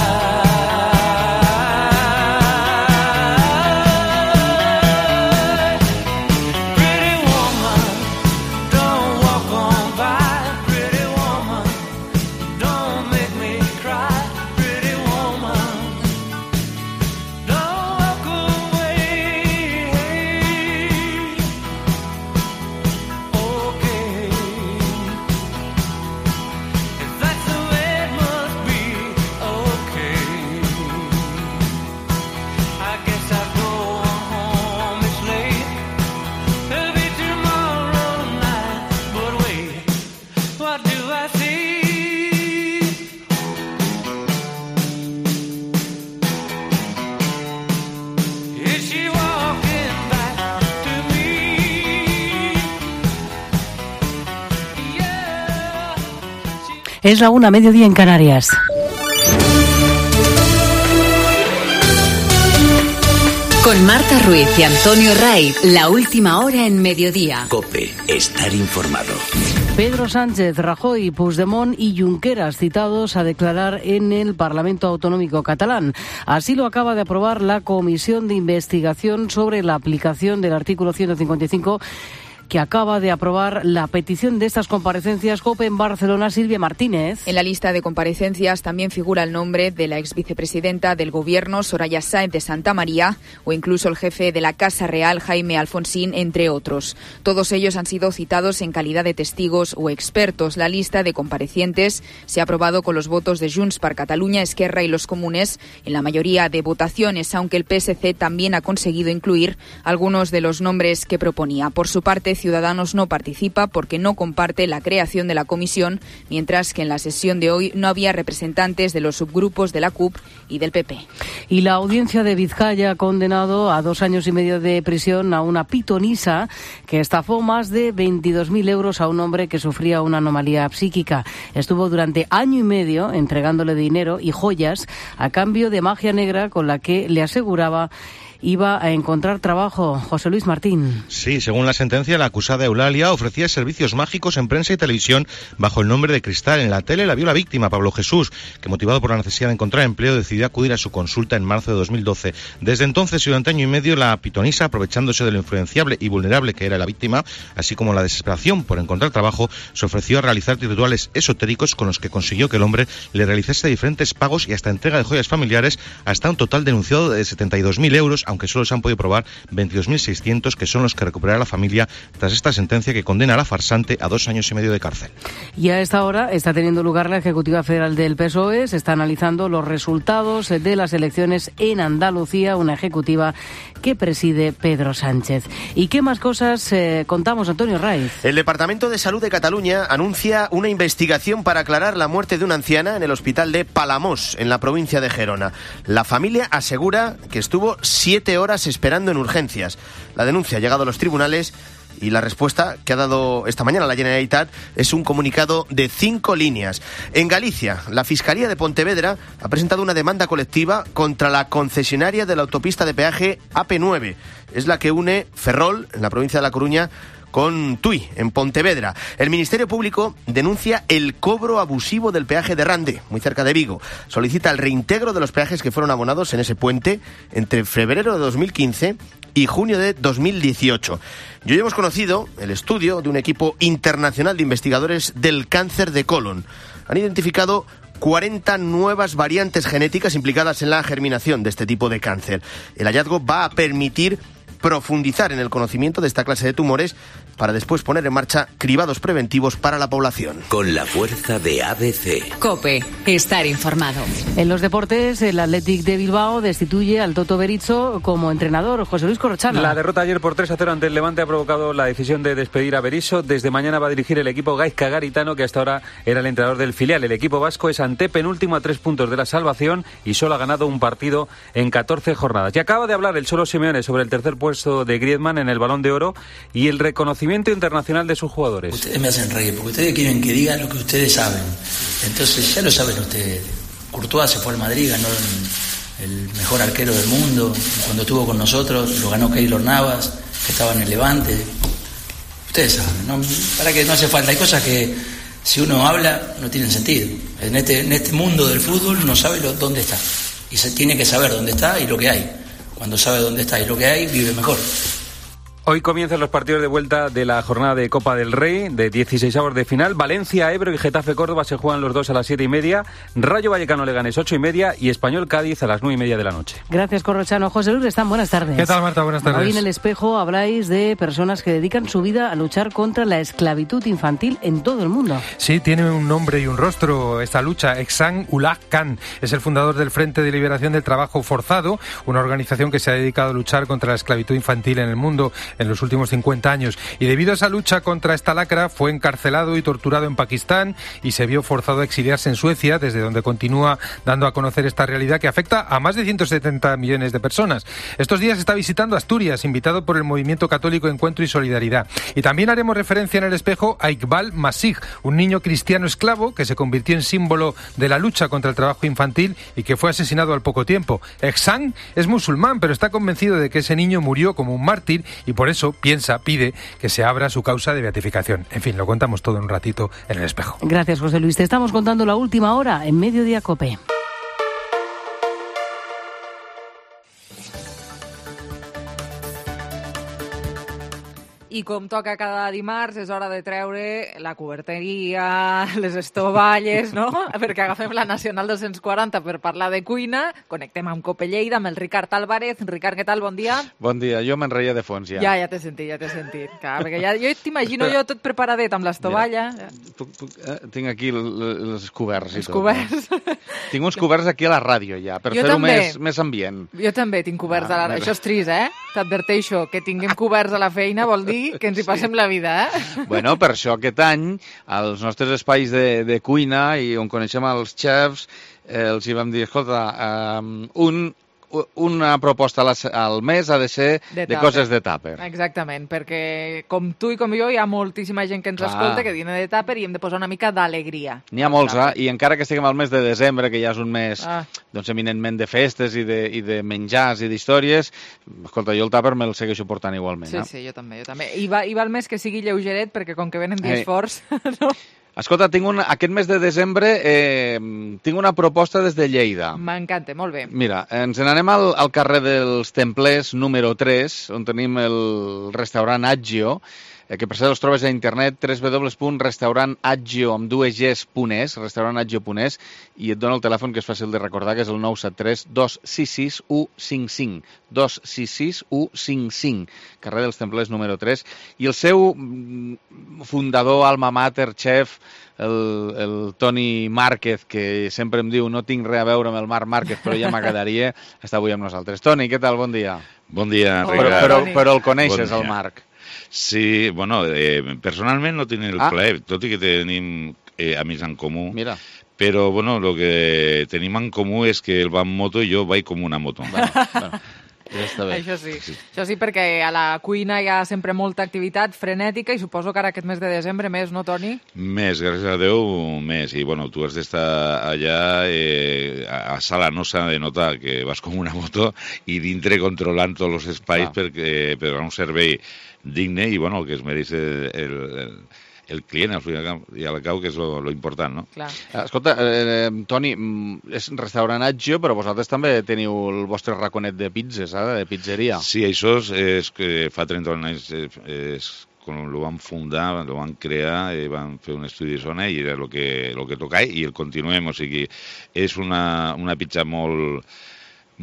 Es la una, mediodía en Canarias. Con Marta Ruiz y Antonio Ray, la última hora en mediodía. COPE, estar informado. Pedro Sánchez, Rajoy, Puigdemont y Junqueras citados a declarar en el Parlamento Autonómico catalán. Así lo acaba de aprobar la Comisión de Investigación sobre la aplicación del artículo ciento cincuenta y cinco, que acaba de aprobar la petición de estas comparecencias. COPE en Barcelona, Silvia Martínez. En la lista de comparecencias también figura el nombre de la ex vicepresidenta del Gobierno, Soraya Sáenz de Santa María, o incluso el jefe de la Casa Real, Jaime Alfonsín, entre otros. Todos ellos han sido citados en calidad de testigos o expertos. La lista de comparecientes se ha aprobado con los votos de Junts per Catalunya, Esquerra y los Comunes en la mayoría de votaciones, aunque el P S C también ha conseguido incluir algunos de los nombres que proponía. Por su parte, Ciudadanos no participa porque no comparte la creación de la comisión, mientras que en la sesión de hoy no había representantes de los subgrupos de la C U P y del P P. Y la audiencia de Vizcaya ha condenado a dos años y medio de prisión a una pitonisa que estafó más de veintidós mil euros a un hombre que sufría una anomalía psíquica. Estuvo durante año y medio entregándole dinero y joyas a cambio de magia negra con la que le aseguraba iba a encontrar trabajo. José Luis Martín. Sí, según la sentencia, la acusada Eulalia ofrecía servicios mágicos en prensa y televisión bajo el nombre de Cristal. En la tele la vio la víctima, Pablo Jesús, que motivado por la necesidad de encontrar empleo decidió acudir a su consulta en marzo de dos mil doce. Desde entonces y durante año y medio, la pitonisa, aprovechándose de lo influenciable y vulnerable que era la víctima, así como la desesperación por encontrar trabajo, se ofreció a realizar rituales esotéricos con los que consiguió que el hombre le realizase diferentes pagos y hasta entrega de joyas familiares, hasta un total denunciado de setenta y dos mil euros, aunque solo se han podido probar veintidós mil seiscientos, que son los que recuperará la familia tras esta sentencia que condena a la farsante a dos años y medio de cárcel. Y a esta hora está teniendo lugar la Ejecutiva Federal del P S O E. Se está analizando los resultados de las elecciones en Andalucía, una ejecutiva que preside Pedro Sánchez. ¿Y qué más cosas eh, contamos, Antonio Raiz? El Departamento de Salud de Cataluña anuncia una investigación para aclarar la muerte de una anciana en el hospital de Palamós, en la provincia de Gerona. La familia asegura que estuvo siete horas esperando en urgencias. La denuncia ha llegado a los tribunales y la respuesta que ha dado esta mañana la Generalitat es un comunicado de cinco líneas. En Galicia, la Fiscalía de Pontevedra ha presentado una demanda colectiva contra la concesionaria de la autopista de peaje A P nueve. Es la que une Ferrol, en la provincia de La Coruña, con Tui, en Pontevedra. El Ministerio Público denuncia el cobro abusivo del peaje de Rande, muy cerca de Vigo. Solicita el reintegro de los peajes que fueron abonados en ese puente entre febrero de dos mil quince y junio de dos mil dieciocho. Y hoy hemos conocido el estudio de un equipo internacional de investigadores del cáncer de colon. Han identificado cuarenta nuevas variantes genéticas implicadas en la germinación de este tipo de cáncer. El hallazgo va a permitir profundizar en el conocimiento de esta clase de tumores para después poner en marcha cribados preventivos para la población. Con la fuerza de A B C. COPE. Estar informado. En los deportes, el Athletic de Bilbao destituye al Toto Berizzo como entrenador. José Luis Corrochano. La derrota ayer por tres a cero ante el Levante ha provocado la decisión de despedir a Berizzo. Desde mañana va a dirigir el equipo Gaizka Garitano, que hasta ahora era el entrenador del filial. El equipo vasco es antepenúltimo a tres puntos de la salvación y solo ha ganado un partido en catorce jornadas. Y acaba de hablar el Cholo Simeone sobre el tercer puesto de Griezmann en el Balón de Oro y el reconocimiento internacional de sus jugadores. Ustedes me hacen reír porque ustedes quieren que digan lo que ustedes saben. Entonces ya lo saben ustedes. Courtois se fue al Madrid, ganó el, el mejor arquero del mundo. Cuando estuvo con nosotros lo ganó Keylor Navas, que estaba en el Levante. Ustedes saben, ¿no? Para que no hace falta. Hay cosas que si uno habla no tienen sentido. En este, en este mundo del fútbol uno sabe lo, dónde está. Y se tiene que saber dónde está y lo que hay. Cuando sabe dónde está y lo que hay, vive mejor. Hoy comienzan los partidos de vuelta de la jornada de Copa del Rey, de dieciseisavos de final. Valencia, Ebro y Getafe Córdoba se juegan los dos a las siete y media. Rayo Vallecano Leganés ocho y media y Español Cádiz a las nueve y media de la noche. Gracias, Corrochano. José Luis Restán, buenas tardes. ¿Qué tal, Marta? Buenas tardes. Hoy en El Espejo habláis de personas que dedican su vida a luchar contra la esclavitud infantil en todo el mundo. Sí, tiene un nombre y un rostro esta lucha. Ehsan Ullah Khan es el fundador del Frente de Liberación del Trabajo Forzado, una organización que se ha dedicado a luchar contra la esclavitud infantil en el mundo en los últimos cincuenta años. Y debido a esa lucha contra esta lacra, fue encarcelado y torturado en Pakistán y se vio forzado a exiliarse en Suecia, desde donde continúa dando a conocer esta realidad que afecta a más de ciento setenta millones de personas. Estos días está visitando Asturias, invitado por el Movimiento Católico Encuentro y Solidaridad. Y también haremos referencia en El Espejo a Iqbal Masih, un niño cristiano esclavo que se convirtió en símbolo de la lucha contra el trabajo infantil y que fue asesinado al poco tiempo. Ehsan es musulmán, pero está convencido de que ese niño murió como un mártir y por eso piensa, pide que se abra su causa de beatificación. En fin, lo contamos todo en un ratito en El Espejo. Gracias, José Luis. Te estamos contando la última hora en Mediodía COPE. I com toca cada dimarts, és hora de treure la coberteria, les estovalles, no? Perquè agafem la Nacional dos-cents quaranta per parlar de cuina. Connectem amb Cope Lleida, amb el Ricard Álvarez. Ricard, què tal? Bon dia. Bon dia. Jo me'n reia de fons, ja. Ja, ja t'he sentit, ja t'he sentit. Clar, perquè ja, jo t'imagino jo tot preparadet amb l'estovalla. Puc, puc, eh, tinc aquí els coberts i els tot. Coberts. Eh? Tinc uns coberts aquí a la ràdio, ja, per fer-ho més, més ambient. Jo també tinc coberts ah, a la ràdio. Això és trist, eh? T'adverteixo, que tinguem coberts a la feina vol dir aquí que ens hi passem la vida, eh? Bueno, per això aquest any, als nostres espais de, de cuina i on coneixem els xefs, eh, els hi vam dir, escolta, eh, un... una proposta al mes ha de ser de, de coses de tàper. Exactament, perquè com tu i com jo hi ha moltíssima gent que ens Clar. escolta que viene de tàper i hem de posar una mica d'alegria. N'hi ha molts, eh? I encara que estiguem al mes de desembre, que ja és un mes ah. doncs, eminentment de festes i de, i de menjars i d'històries, escolta, jo el tàper me'l segueixo portant igualment. Sí, eh? sí, jo també. Jo també. I, va, I va el mes que sigui lleugeret, perquè com que venen dies eh. forts... no? Escolta, tinc un, aquest mes de desembre eh, tinc una proposta des de Lleida. M'encanta, molt bé. Mira, ens n'anem al, al carrer dels Templers, número tres, on tenim el restaurant Aggio, eh, que per cert els trobes a internet, w w w punt restaurant aggio amb dues ges punt es, restaurant aggio punt es, i et dona el telèfon que és fàcil de recordar, que és el nou set tres dos sis sis u cinc cinc, dos sis sis u cinc cinc, carrer dels Templers número tres, i el seu fundador, alma mater, chef, el, el Toni Márquez, que sempre em diu no tinc res a veure amb el Marc Márquez, però ja m'agradaria, està avui amb nosaltres. Toni, què tal? Bon dia. Bon dia, Ricard. Però, però, però el coneixes, bon el Marc? Sí, bueno, eh, personalment no tinc el ah. plaer, tot i que tenim eh, amics en comú. Mira. Però, bueno, el que tenim en comú és que ell va en moto i jo vaig com una moto. Bueno, bueno. Ja està bé. Això sí. sí. Això sí, perquè a la cuina hi ha sempre molta activitat frenètica i suposo que ara aquest mes de desembre més, no, Toni? Més, gràcies a Déu, més. I, bueno, tu has d'estar allà, eh, a Sala no s'ha de notar que vas com una moto i dintre controlant tots els espais ah. perquè, per donar un servei digne i, bueno, el que es mereix el, el, el client, al final i al cau, que és lo, lo important, no? Clar. Escolta, eh, Toni, és restaurant Aggio, però vosaltres també teniu el vostre raconet de pizzas, eh, de pizzeria. Sí, això és, és que fa trenta anys és, és quan ho van fundar, ho van crear, eh, van fer un estudi de zona i era el que, lo que tocava i el continuem, o sigui, és una, una pizza molt...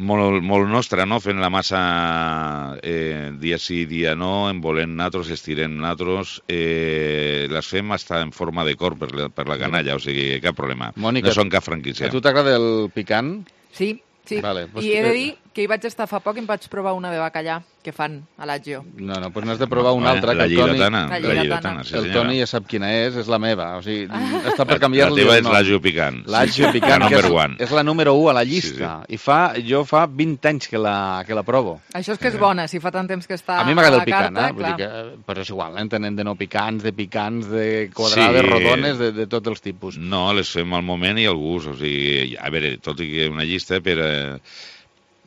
Molt, molt nostra, no? Fent la massa eh, dia sí, dia no, envolent natros, estirent natros, eh, les fem hasta en forma de cor per la, per la canalla, o sigui, cap problema. Mònica, no són cap franquícia. A tu t'agrada el picant? Sí, sí. Vale, pues I he de dir que hi vaig estar fa poc i em vaig provar una de bacallà que fan a l'Aggio. No, no, doncs n'has de provar una altra. La que el Toni, lligatana. La lligatana. La lligatana, sí, el senyora. Toni ja sap quina és, és la meva. O sigui, està per canviar-li. La teva és l'Aggio picant. L'Aggio picant, la que number és, one. és la número u a la llista. Sí, sí. I fa, jo fa vint anys que la, que la provo. Això és que és bona, si fa tant temps que està a mi m'agrada el picant, carta, eh? Vull dir que, però és igual, eh? Tenen de no picants, de picants, de quadrades, sí, rodones, de, de tots els tipus. No, les fem al moment i al gust. O sigui, a veure, tot i que una llista per... Eh,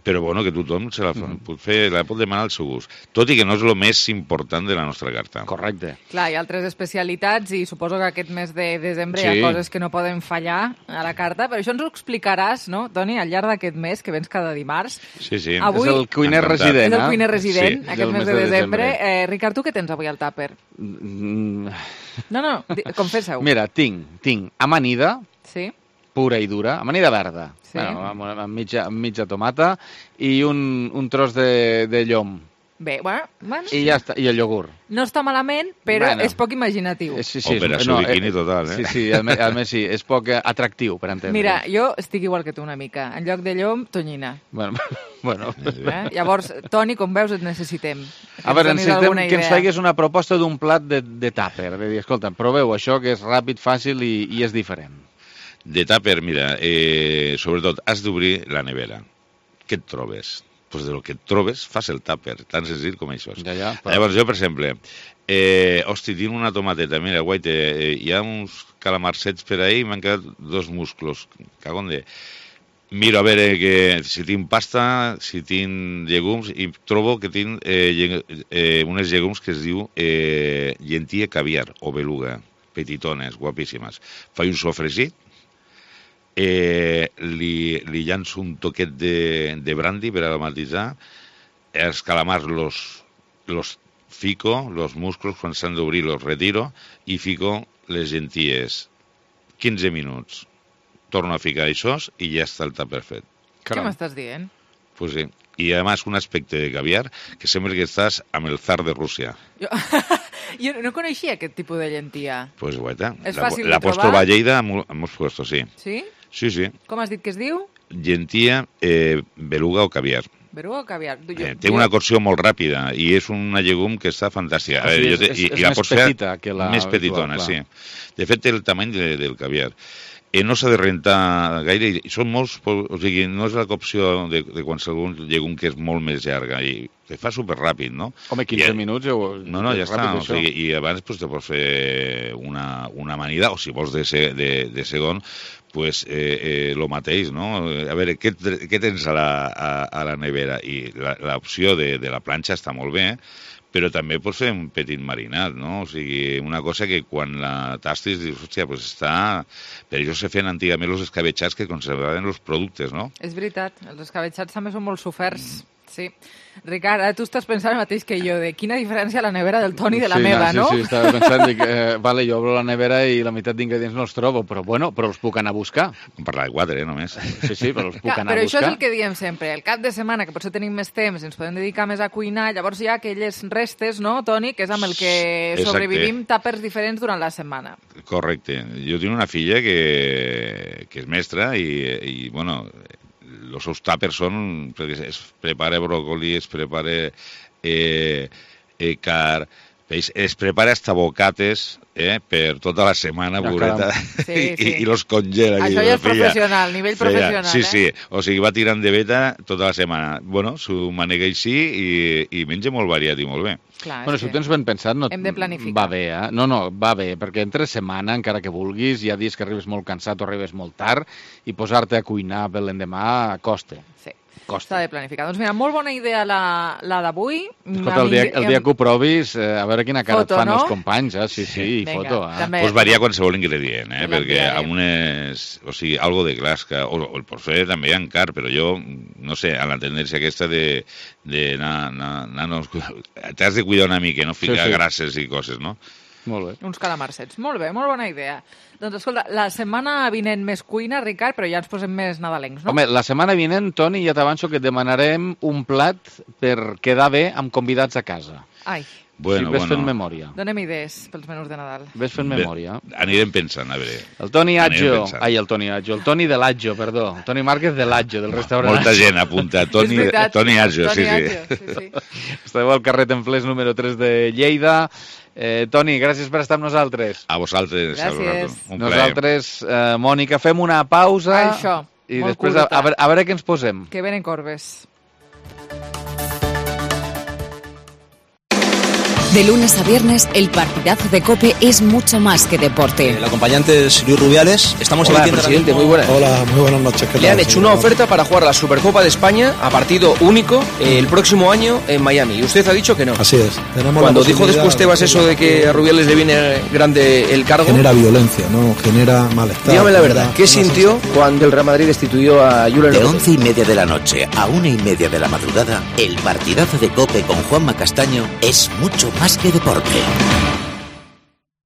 però bueno, que tothom se la mm. pot fer, la pot demanar al seu gust. Tot i que no és el més important de la nostra carta. Correcte. Clar, hi ha altres especialitats i suposo que aquest mes de desembre sí. hi ha coses que no poden fallar a la carta, però això ens ho explicaràs, no, Toni, al llarg d'aquest mes, que vens cada dimarts. Sí, sí. Avui... És el cuiner resident, És el cuiner resident, sí, aquest mes de, de desembre. Eh, Ricard, tu què tens avui al tàper? Mm. No, no, confessa-ho. Mira, tinc, tinc amanida, sí. pura i dura, amanida verda, sí. bueno, amb, amb, mitja, amb mitja tomata i un, un tros de, de llom. Bé, bueno, bueno. I ja està, i el iogurt. No està malament, però bueno. és poc imaginatiu. Sí, sí, Operació no, biquini eh, total, eh? Sí, sí, a més, a més sí, és poc atractiu, per entendre. Mira, jo estic igual que tu una mica. En lloc de llom, tonyina. Bueno, bueno. Eh? Llavors, Toni, com veus, et necessitem. Que a veure, necessitem que ens faigues una proposta d'un plat de, de tàper. De dir, escolta, proveu això, que és ràpid, fàcil i, i és diferent. De tàper, mira, eh, sobretot has d'obrir la nevera. Què et trobes? Pues de lo que et trobes, fas el tàper, tan senzill com això. Ja, ja, però... Llavors, jo, per exemple, eh, hosti, tinc una tomateta, mira, guaita, eh, hi ha uns calamarsets per ahí i m'han quedat dos musclos. Cagón de... Miro a veure que, si tinc pasta, si tinc llegums, i trobo que tinc eh, eh, unes llegums que es diu eh, llentia caviar o beluga, petitones, guapíssimes. Faig un sofregit, Eh, li, li llanço un toquet de, de brandy per aromatitzar, els calamars los, los fico, los musclos quan s'han d'obrir los retiro i fico les llenties quinze minuts, torno a ficar això i ja està el tàper fet. Què m'estàs dient? Pues sí, i además un aspecte de caviar que sembla que estàs amb el zar de Rússia. Jo... Jo no coneixia aquest tipus de llentia. Pues guaita, és la, fàcil la de pots trobar? trobar a Lleida en molts puestos, sí. Sí? Sí, sí. Com has dit que es diu? Llentia, eh, beluga o caviar. Beruga o caviar? Jo, eh, té jo... una cocció molt ràpida i és una llegum que està fantàstica. O sigui, jo te, és, i, és, i la més pots fer petita que la... Més petitona, clar. sí. De fet, té el tamany de, del caviar. Eh, no s'ha de rentar gaire, i són molts, o sigui, no és la cocció de, de qualsevol llegum que és molt més llarga, i se fa superràpid, no? Home, quinze I, minuts... Jo, no, no, ja està, o sigui, i abans pues, te pots fer una, una amanida, o si vols de, se, de, de segon, pues eh, eh, lo mateix, no? A veure, què, què tens a la, a, a la nevera? I l'opció de, de la planxa està molt bé, però també pots fer un petit marinat, no? O sigui, una cosa que quan la tastis dius, hòstia, pues està... Per això se feien antigament els escabetxats que conservaven els productes, no? És veritat, els escabetxats també són molt soferts. Sí. Ricard, ara tu estàs pensant el mateix que jo, de quina diferència la nevera del Toni de la sí, meva, no? Sí, sí, estava pensant, dic, eh, vale, jo obro la nevera i la meitat d'ingredients no els trobo, però bueno, però els puc anar a buscar. Com parlar de quatre, eh, només. Sí, sí, però els puc Clar, anar però a buscar. això és el que diem sempre, el cap de setmana, que potser tenim més temps, ens podem dedicar més a cuinar, llavors hi ha aquelles restes, no, Toni, que és amb el que Exacte. sobrevivim tàpers diferents durant la setmana. Correcte. Jo tinc una filla que, que és mestra i, i bueno... els seus tàpers són, es prepara bròcoli, es prepara eh, eh, car, peix, es prepara hasta bocates eh, per tota la setmana, ja, pobreta, sí, i, sí. i los congela. Això ja és professional, nivell feia, professional, sí, eh? Sí, o sigui, va tirant de veta tota la setmana. Bueno, s'ho manega així i, i menja molt variat i molt bé. Clar, bueno, si ho tens ben pensat, no, hem de planificar. Va bé, eh? No, no, va bé, perquè entre setmana, encara que vulguis, hi ha dies que arribes molt cansat o arribes molt tard, i posar-te a cuinar per l'endemà costa. Sí. Costa. S'ha de planificar. Doncs mira, molt bona idea la, la d'avui. Escolta, el dia, el dia que ho provis, eh, a veure quina cara foto, et fan no? els companys, eh? Sí, sí, i Vinga, foto. Eh? també. Pues varia qualsevol ingredient, eh? Perquè amb unes... O sigui, algo de clasca, o, o el pots fer també en car, però jo, no sé, a la tendència aquesta de... de na, na, na, no, t'has de cuidar una mica, no ficar sí, sí. grasses i coses, no? Molt bé. Uns calamarsets. Molt bé, molt bona idea. Doncs escolta, la setmana vinent més cuina, Ricard, però ja ens posem més nadalencs, no? Home, la setmana vinent, Toni, ja t'avanço que et demanarem un plat per quedar bé amb convidats a casa. Ai. Bueno, sí, ves bueno. fent memòria. Donem idees pels menús de Nadal. Ves fent memòria. Bé, anirem pensant, a veure. El Toni Aggio, ai, el Toni Aggio, el Toni de l'Aggio, perdó, el Toni Márquez de l'Aggio, del restaurant. Molta gent apunta, Toni, Toni Aggio, sí, sí. sí, sí. Esteu al carrer Templers número tres de Lleida. Eh, Toni, gràcies per estar amb nosaltres. A vosaltres. Gràcies. Un nosaltres, eh, Mònica, fem una pausa. Això, i després a, a, veure, a veure què ens posem. Que venen corbes. De lunes a viernes, el partidazo de COPE es mucho más que deporte. El acompañante es Luis Rubiales. Estamos Hola, emitiendo presidente, mismo... muy buenas. Hola, muy buenas noches. ¿Qué Le tal? han hecho una oferta para jugar la Supercopa de España a partido único eh, el próximo año en Miami. Y usted ha dicho que no. Así es. Tenemos Cuando dijo después Tebas eso de que a Rubiales le viene grande el cargo... Genera violencia, ¿no? Genera malestar. Dígame la verdad, ¿qué sintió cuando el Real Madrid destituyó a Julen De once y media de la noche a una y media de la madrugada, el partidazo de COPE con Juanma Castaño es mucho más que deporte.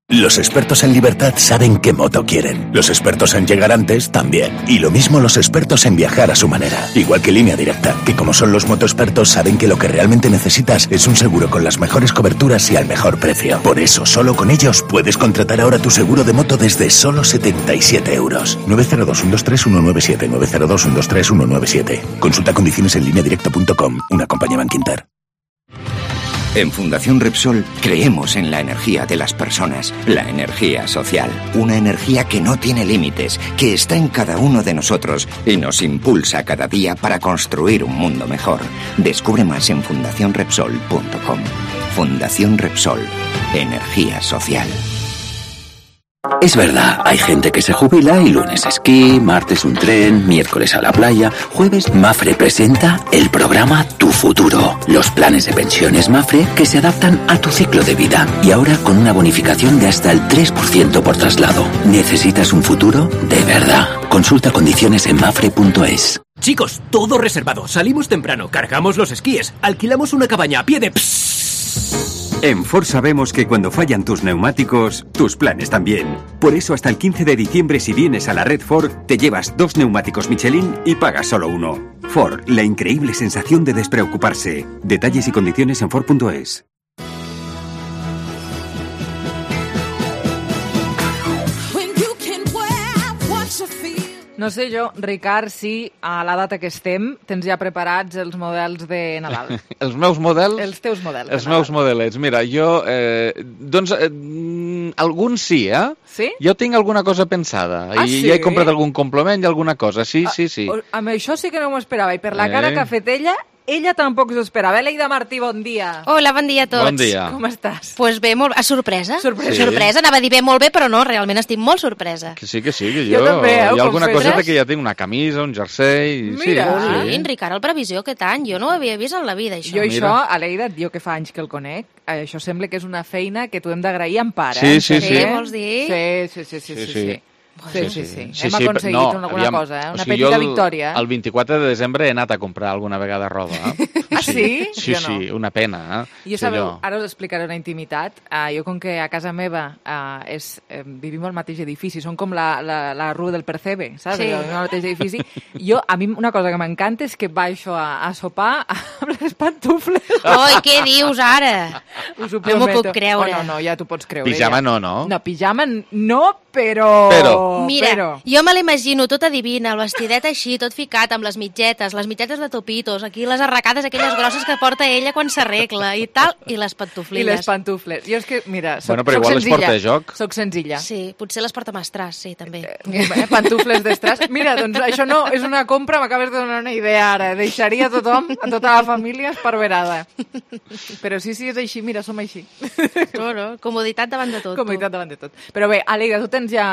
Los expertos en libertad saben qué moto quieren. Los expertos en llegar antes también. Y lo mismo los expertos en viajar a su manera. Igual que Línea Directa, que como son los motoexpertos saben que lo que realmente necesitas es un seguro con las mejores coberturas y al mejor precio. Por eso, solo con ellos puedes contratar ahora tu seguro de moto desde solo setenta y siete euros. nueve cero dos, uno dos tres, uno nueve siete, nueve cero dos, uno dos tres, uno nueve siete. Consulta condiciones en línea directa punto com, una compañía Bankinter. En Fundación Repsol creemos en la energía de las personas, la energía social, una energía que no tiene límites, que está en cada uno de nosotros y nos impulsa cada día para construir un mundo mejor. Descubre más en fundación repsol punto com. Fundación Repsol, energía social. Es verdad, hay gente que se jubila y lunes esquí, martes un tren, miércoles a la playa, jueves Mafre presenta el programa Tu Futuro. Los planes de pensiones Mafre que se adaptan a tu ciclo de vida y ahora con una bonificación de hasta el tres por ciento por traslado. ¿Necesitas un futuro? De verdad. Consulta condiciones en mafre punto es. Chicos, todo reservado. Salimos temprano, cargamos los esquíes, alquilamos una cabaña a pie de... En Ford sabemos que cuando fallan tus neumáticos, tus planes también. Por eso hasta el quince de diciembre, si vienes a la red Ford, te llevas dos neumáticos Michelin y pagas solo uno. Ford, la increíble sensación de despreocuparse. Detalles y condiciones en Ford punto es. No sé jo, Ricard, si a la data que estem tens ja preparats els models de Nadal. Els meus models? Els teus models. Els meus modelets. Mira, jo... Eh, doncs, eh, alguns sí, eh? Sí? Jo tinc alguna cosa pensada. Ah, I sí? ja he comprat algun complement i alguna cosa. Sí, Ah, sí, sí. o- Amb això sí que no m'ho esperava. I per la cara Eh. que ha fet ella, ella tampoc s'ho esperava. Leida Martí, bon dia. Hola, bon dia a tots. Bon dia. Com estàs? Pues bé, molt... A sorpresa. Sorpresa. Sí. Sorpresa, anava a dir bé, molt bé, però no, realment estic molt sorpresa. Que sí, que sí, que Jo jo... també, eh, ho hi ha alguna confesses? coseta que ja tinc, una camisa, un jersei... Mira. Sí, Sí, sí. Ricard, el previsió aquest any, jo no ho havia vist en la vida, això. Jo Mira. això, a Leida, jo que fa anys que el conec, eh, això sembla que és una feina que tu hem d'agrair en part, Sí, eh? sí, sí. Què vols dir? Sí, sí, sí, sí, sí. Sí, sí. sí. Sí, sí, sí. Sí, Hem sí, aconseguit no, alguna aviam, cosa, eh? o Una sigui, petita jo el, victòria. El vint-i-quatre de desembre he anat a comprar alguna vegada roba. Eh? Ah, sí? Sí, Jo no. sí, una pena. Eh? Jo Sí, sabeu, allò. ara us explicaré una intimitat. Uh, jo, com que a casa meva uh, és, eh, vivim al mateix edifici, som com la, la, la rua del Percebe, saps? Sí. Vivim al mateix edifici. Jo, a mi una cosa que m'encanta és que baixo a, a sopar amb les pantufles. Oi, què dius ara? Us ho No m'ho prometo. puc creure. Oh, no, no, ja t'ho pots creure. Pijama ja. no, no? No, pijama no, però... Però. Mira, però. jo me l'imagino tota divina, el vestidet així, tot ficat, amb les mitgetes, les mitgetes de topitos, aquí les arracades aquelles grosses que porta ella quan s'arregla i tal, i les I pantuflilles. les pantufles. Jo és que, mira, soc, Bueno, però soc igual les senzilla. porta a joc. Soc senzilla. Sí, potser les porta Mastràs, sí, també. Eh, pantufles d'estràs. Mira, doncs això no és una compra, m'acabes de donar una idea ara. Deixaria a tothom, a tota la família esparverada. Però sí, sí, és així, mira, som així. No, no, comoditat davant de tot. tu. Comoditat davant de tot. Però bé, Aleida, tu tens ja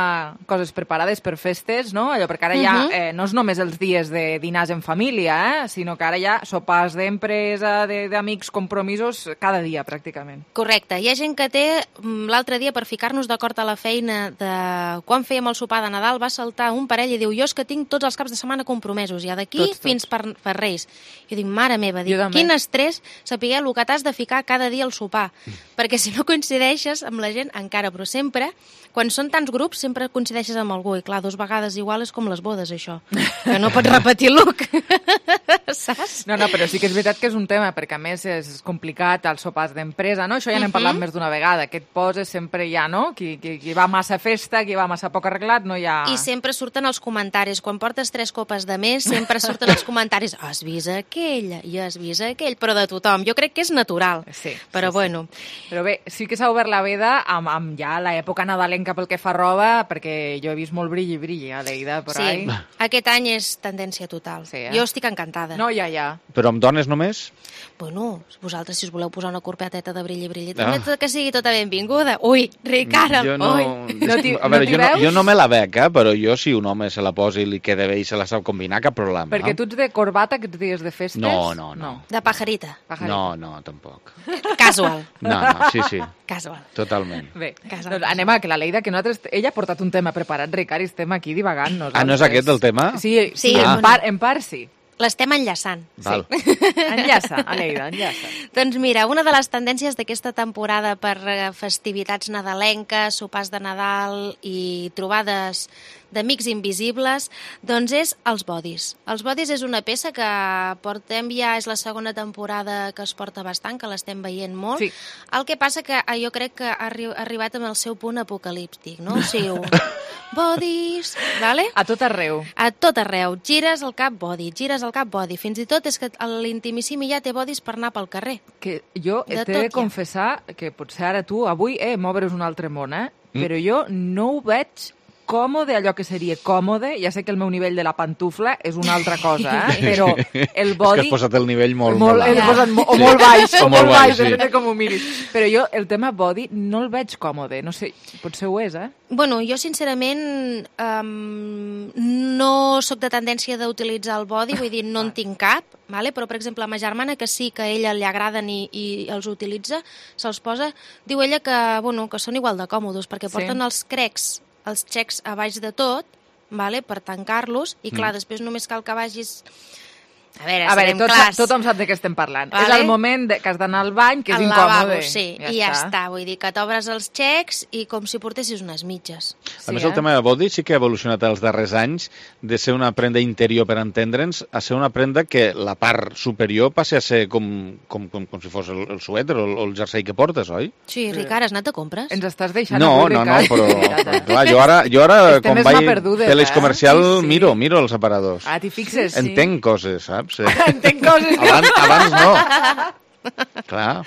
coses preparades per festes, no? Allò, perquè ara ja Mhm. eh, no és només els dies de dinars en família, eh? Sinó que ara ja sopars d'empresa, de- d'amics, compromisos, cada dia, pràcticament. Correcte. Hi ha gent que té, mm, l'altre dia, per ficar-nos d'acord a la feina de quan fèiem el sopar de Nadal, va saltar un parell i diu, jo és que tinc tots els caps de setmana compromesos, ja d'aquí Tots, tots. fins per, per Reis. Jo dic, mare meva, dic, Jo també. quin estrès saber el que t'has de ficar cada dia al sopar. Perquè si no coincideixes amb la gent, encara, però sempre, quan són tants grups, sempre coincideixes amb algú. I clar, dos vegades igual és com les bodes, això. Que no pots repetir look. Saps? No, no, però sí que és veritat que és un tema, perquè a més és complicat els sopars d'empresa, no? Això ja n'hem Mhm. parlat més d'una vegada, que et poses sempre ja, no? Qui, qui, qui va massa a festa, qui va massa poc arreglat, no hi ha... I sempre surten els comentaris. Quan portes tres copes de més, sempre surten els comentaris. Has vist aquella i has vist aquell, però de tothom. Jo crec que és natural. Sí, però sí, bueno. Però bé, sí que s'ha obert la veda amb, amb ja l'època nadalenca pel que fa a roba, perquè jo he vist molt brilli, brilli, a Leida, per Sí, ahí. aquest any és tendència total. Sí, eh? Jo estic encantada. No, ja, ja. Però amb dones només? Bueno, vosaltres, si us voleu posar una corpeteta de brilli, brilli, Ah. també que sigui tota benvinguda. Ui, Ricard, Jo no... ui. No t'hi- a veure, no t'hi jo, no, veus? jo no me la bec, eh? Però jo si un home se la posa i li queda bé i se la sap combinar, cap problema. Perquè tu ets de corbata aquests dies de festes? No, no, no. De pajarita. No, no, tampoc. Casual. No, no, sí, sí. Casual. Totalment. Bé, Casual. doncs anem a que la Leida, que nosaltres... Ella ha portat un tema preparat, Ricard, i estem aquí divagant. Ah, no és aquest el tema? Sí, sí, Sí, en, bueno. part, en part sí. L'estem enllaçant. Val. Enllaça, Aleida, enllaça. Doncs mira, una de les tendències d'aquesta temporada per eh, festivitats nadalenques, sopars de Nadal i trobades d'amics invisibles, doncs és els bodis. Els bodis és una peça que portem ja, és la segona temporada que es porta bastant, que l'estem veient molt. Sí. El que passa que eh, jo crec que ha arri- ha arribat amb el seu punt apocalíptic, no? O sigui, un bodis, vale? A tot arreu. A tot arreu. Gires el cap body, gires el cap body. Fins i tot és que l'intimissimi ja té bodis per anar pel carrer. Que jo De t'he tot de hi ha. confessar que potser ara tu, avui, eh, m'obres un altre món, eh? Mm. Però jo no ho veig còmode, allò que seria còmode. Ja sé que el meu nivell de la pantufla és una altra cosa, eh? Però el És que body... has posat el nivell molt, molt, molt he alt. posat mo o Sí. molt baix, o, O molt molt baix, baix, sí. depèn de com ho miris. Però jo el tema body no el veig còmode. No sé, potser ho és, eh? Bueno, jo sincerament um, no sóc de tendència d'utilitzar el body, vull dir, no en tinc cap, vale? Però per exemple, a ma germana, que sí que a ella li agraden i, i els utilitza, se'ls posa, diu ella que, bueno, que són igual de còmodes, perquè Sí. porten els crecs, els xecs a baix de tot, vale? Per tancar-los, i clar, Mm. després només cal que vagis A veure, a veure serem tot, clars. Tothom sap de què estem parlant. Vale. És el moment de, que has d'anar al bany, que és al incòmode. lavabo, sí, ja i ja està. està. Vull dir que t'obres els xecs i com si portessis unes mitges. A Sí, més, el eh? tema de body sí que ha evolucionat els darrers anys de ser una prenda interior per entendre'ns a ser una prenda que la part superior passi a ser com, com, com, com si fos el, el suèter o el, el jersei que portes, oi? Sí, Ricard, has anat a compres? Ens estàs deixant No, avui, no, no, Ricard. però, però clar, jo ara, jo ara Estem quan més vaig perdudes, pel·lis eh? comercial, Sí, sí. miro, miro els aparadors. Ah, t'hi fixes, sí. Entenc coses, saps? Sí. Entenc coses. Abans, abans no. Clar.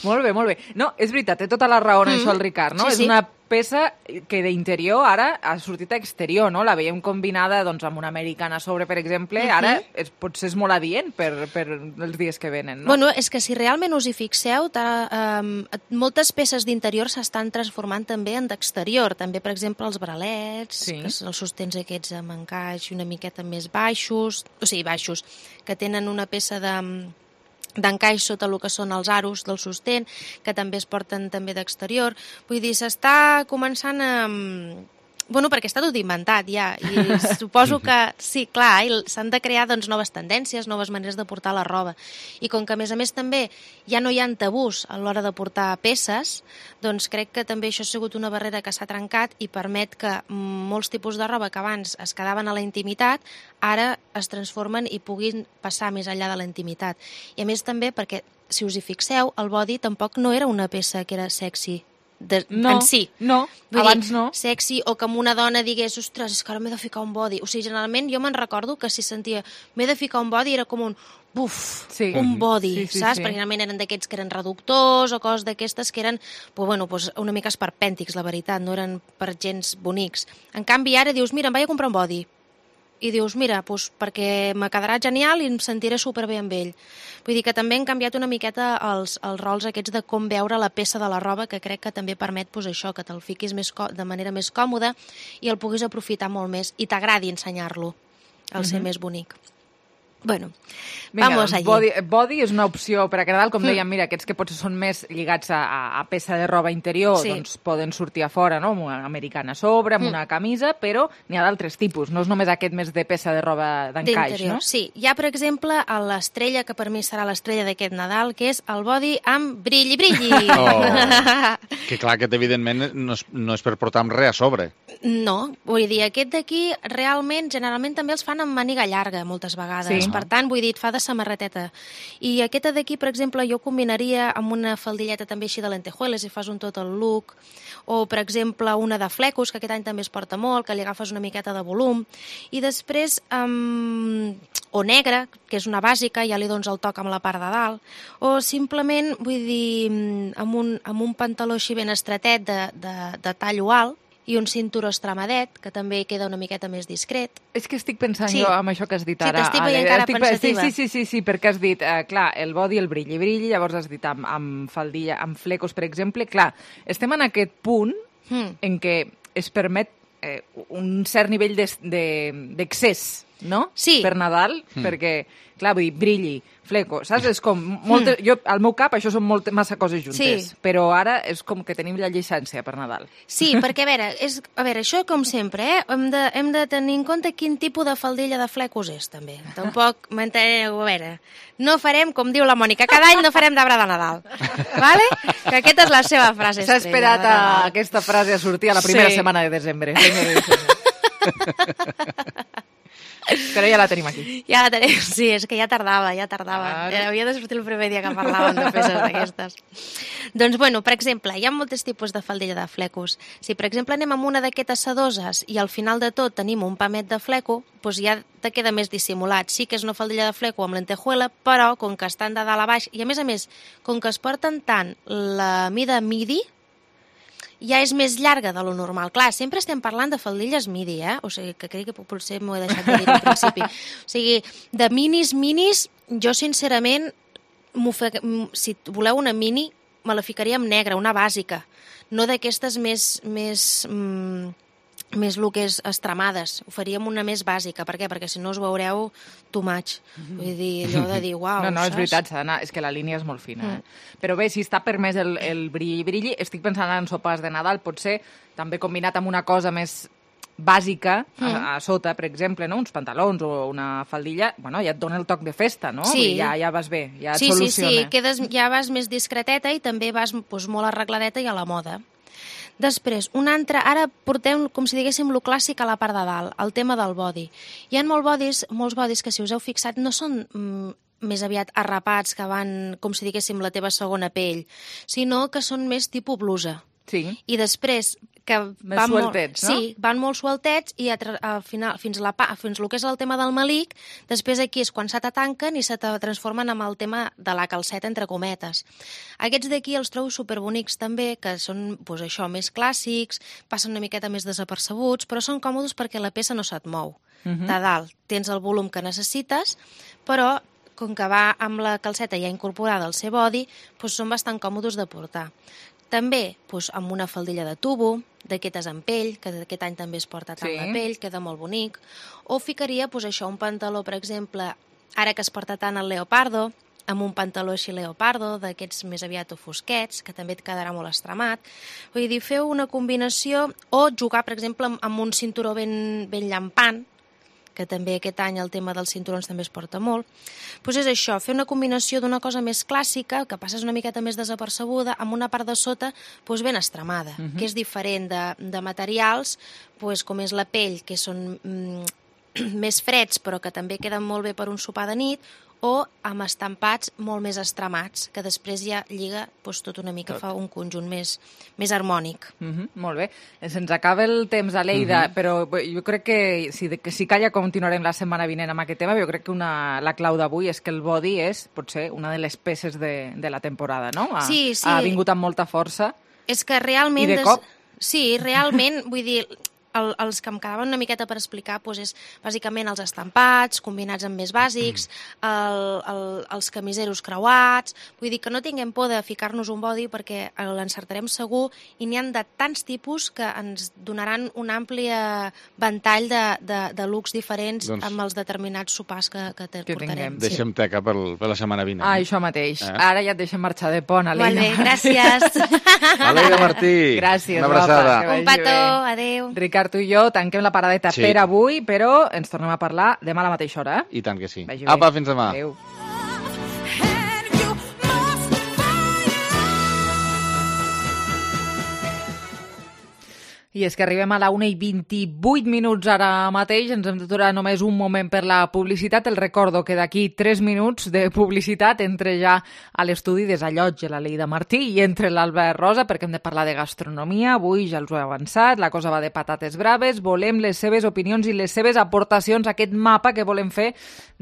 Molt bé, molt bé. No, és veritat, té tota la raó en Mm. això el Ricard, no? Sí, és sí. una peça que d'interior ara ha sortit a exterior, no? La veiem combinada doncs, amb una americana a sobre, per exemple, Mhm. ara és, potser és molt adient per, per els dies que venen, no? Bueno, és que si realment us hi fixeu, ta, um, moltes peces d'interior s'estan transformant també en d'exterior. També, per exemple, els bralets, Sí. que són els sostens aquests amb encaix una miqueta més baixos, o sigui, baixos, que tenen una peça de d'encaix sota el que són els aros del sostén, que també es porten també d'exterior. Vull dir, s'està començant a... Bueno, perquè està tot inventat ja, i suposo que, sí, clar, i s'han de crear doncs, noves tendències, noves maneres de portar la roba. I com que, a més a més, també ja no hi ha tabús a l'hora de portar peces, doncs crec que també això ha sigut una barrera que s'ha trencat i permet que molts tipus de roba que abans es quedaven a la intimitat, ara es transformen i puguin passar més enllà de la intimitat. I a més també perquè, si us hi fixeu, el body tampoc no era una peça que era sexy, de, No, en si. no, Vull abans dir, no. Sexy, o que una dona digués, ostres, és que ara m'he de ficar un body. O sigui, generalment jo me'n recordo que si sentia m'he de ficar un body era com un buf, Sí. un body, Sí, sí, saps? sí. Perquè generalment eren d'aquests que eren reductors o coses d'aquestes que eren pues, bueno, pues, una mica esperpèntics, la veritat, no eren per gens bonics. En canvi, ara dius, mira, em vaig a comprar un body. I dius, mira, doncs perquè me quedarà genial i em sentiré superbé amb ell. Vull dir que també han canviat una miqueta els, els rols aquests de com veure la peça de la roba, que crec que també permet doncs, això, que te'l fiquis més de manera més còmoda i el puguis aprofitar molt més i t'agradi ensenyar-lo, el ser Mhm. més bonic. Bueno, Vinga, vamos doncs, allí. body, body és una opció per a Nadal, com Mm. dèiem, mira, aquests que potser són més lligats a, a, a peça de roba interior, Sí. doncs poden sortir a fora, no?, amb una americana a sobre, amb Mm. una camisa, però n'hi ha d'altres tipus, no és només aquest més de peça de roba d'encaix, D'interior, no? sí. Hi ha, per exemple, a l'estrella, que per mi serà l'estrella d'aquest Nadal, que és el body amb brilli, brilli. Oh. Que clar, aquest evidentment no és, no és per portar amb res a sobre. No, vull dir, aquest d'aquí realment, generalment també els fan amb màniga llarga moltes vegades, Sí. per tant, vull dir, et fa de samarreteta. I aquesta d'aquí, per exemple, jo combinaria amb una faldilleta també així de lentejueles i fas un tot el look, o, per exemple, una de flecos, que aquest any també es porta molt, que li agafes una miqueta de volum, i després, um, o negra, que és una bàsica, ja li dones el toc amb la part de dalt, o simplement, vull dir, amb un, amb un pantaló així ben estretet de, de, de tallo alt, i un cinturó estramadet, que també queda una miqueta més discret. És que estic pensant Sí. jo amb això que has dit Sí, ara. t'estic veient Ale. cara Estic- pensativa. Sí, sí, sí, sí, sí, perquè has dit, eh, clar, el body, el brilli, brilli, llavors has dit amb, amb faldilla, amb flecos, per exemple. Clar, estem en aquest punt Mm. en què es permet eh, un cert nivell d'excés, de, d'excés, no? Sí. Per Nadal, Mm. perquè, clar, vull dir, brilli, fleco, saps? És com, molta, Mm. jo, al meu cap, això són molt, massa coses juntes, Sí. però ara és com que tenim la llicència per Nadal. Sí, perquè, a veure, és, a veure, això com sempre, eh? hem, de, hem de tenir en compte quin tipus de faldilla de flecos és, també. Tampoc, m'enteneu, a veure, no farem, com diu la Mònica, cada any no farem d'arbre de Nadal, vale? Que aquesta és la seva frase S'ha estrella esperat de a Nadal. aquesta frase a sortir a la primera Sí. setmana de desembre. senyores i senyors. Però ja la tenim aquí. Ja la tenim, sí, és que ja tardava, ja tardava. Claro. Havia de sortir el primer dia que parlàvem de peces d'aquestes. Doncs, bueno, per exemple, hi ha molts tipus de faldilla de flecos. Si, per exemple, anem amb una d'aquestes sedoses i al final de tot tenim un pamet de fleco, doncs ja te queda més dissimulat. Sí que és una faldilla de fleco amb lentejuela, però com que estan de dalt a baix, i a més a més, com que es porten tant la mida midi, ja és més llarga de lo normal. Clar, sempre estem parlant de faldilles midi, eh? O sigui, que crec que potser m'ho he deixat de dir al principi. O sigui, de minis, minis, jo sincerament, fe... si voleu una mini, me la ficaria en negra, una bàsica. No d'aquestes més... més mm, més el que és estremades. Ho faríem una més bàsica. Per què? Perquè si no us veureu too much. Vull dir, allò de dir, uau, No, no, és saps? veritat, s'ha d'anar... És que la línia és molt fina. Mm. Eh? Però bé, si està permès el, el brilli-brilli, estic pensant en sopars de Nadal, potser també combinat amb una cosa més bàsica mm. a, a sota, per exemple, no? Uns pantalons o una faldilla, bueno, ja et dona el toc de festa, no? Sí. Ja, ja vas bé, ja et sí, soluciona. Sí, sí, quedes, ja vas més discreteta i també vas doncs, molt arregladeta i a la moda. Després, un altre, ara portem, com si diguéssim, lo clàssic a la part de dalt, el tema del body. Hi ha molt bodis, molts bodis que, si us heu fixat, no són mm, més aviat arrapats, que van, com si diguéssim, la teva segona pell, sinó que són més tipus blusa. Sí. I després, que més van sueltets, molt, no? Sí, van molt sueltets i a, al final, fins, la, fins el que és el tema del malic, després aquí és quan se te tanquen i se te transformen en el tema de la calceta, entre cometes. Aquests d'aquí els trobo superbonics també, que són, doncs això, més clàssics, passen una miqueta més desapercebuts, però són còmodes perquè la peça no se't mou. Uh-huh. De dalt tens el volum que necessites, però com que va amb la calceta ja incorporada al seu body, doncs són bastant còmodes de portar. També doncs, amb una faldilla de tubo, d'aquestes en pell, que aquest any també es porta tant sí. la pell, queda molt bonic. O ficaria doncs, això, un pantaló, per exemple, ara que es porta tant el leopardo, amb un pantaló així leopardo, d'aquests més aviat o fosquets, que també et quedarà molt estremat. Vull dir, feu una combinació, o jugar, per exemple, amb un cinturó ben, ben llampant, que també aquest any el tema dels cinturons també es porta molt, doncs és això, fer una combinació d'una cosa més clàssica, que passes una miqueta més desapercebuda, amb una part de sota doncs ben estremada, uh-huh. que és diferent de, de materials, doncs com és la pell, que són mm, més freds, però que també queden molt bé per un sopar de nit, o amb estampats molt més estremats, que després ja lliga doncs, tot una mica, fa un conjunt més, més harmònic. Uh-huh, molt bé. Se'ns acaba el temps, Aleida, uh-huh. però jo crec que si, que si calla continuarem la setmana vinent amb aquest tema, jo crec que una, la clau d'avui és que el body és, potser, una de les peces de, de la temporada, no? Ha, sí, sí. Ha vingut amb molta força. És que realment... I de cop. Des... Sí, realment, vull dir... El, els que em quedaven una miqueta per explicar doncs és bàsicament els estampats combinats amb més bàsics, el, el, els camiseros creuats, vull dir que no tinguem por de ficar-nos un body perquè l'encertarem segur i n'hi ha de tants tipus que ens donaran un ampli ventall de, de, de looks diferents doncs, amb els determinats sopars que, que, que portarem. Sí. Deixem teca per, per la setmana vinent. Ah, això mateix. Eh? Ara ja et deixem marxar de pont, Aleida. Molt bé, gràcies. Aleida Martí. Gràcies, una abraçada. Un petó, adéu. Ricard, tu i jo tanquem la paradeta sí. per avui, però ens tornem a parlar demà a la mateixa hora. I tant que sí. Vagi Apa, bé. fins demà. Adéu. I és que arribem a la una i vint-i-vuit minuts ara mateix, ens hem d'aturar només un moment per la publicitat. El recordo que d'aquí tres minuts de publicitat entre ja a l'estudi desallotja l'Aleida Martí i entre l'Albert Rosa, perquè hem de parlar de gastronomia. Avui ja els ho he avançat, la cosa va de patates braves, volem les seves opinions i les seves aportacions a aquest mapa que volem fer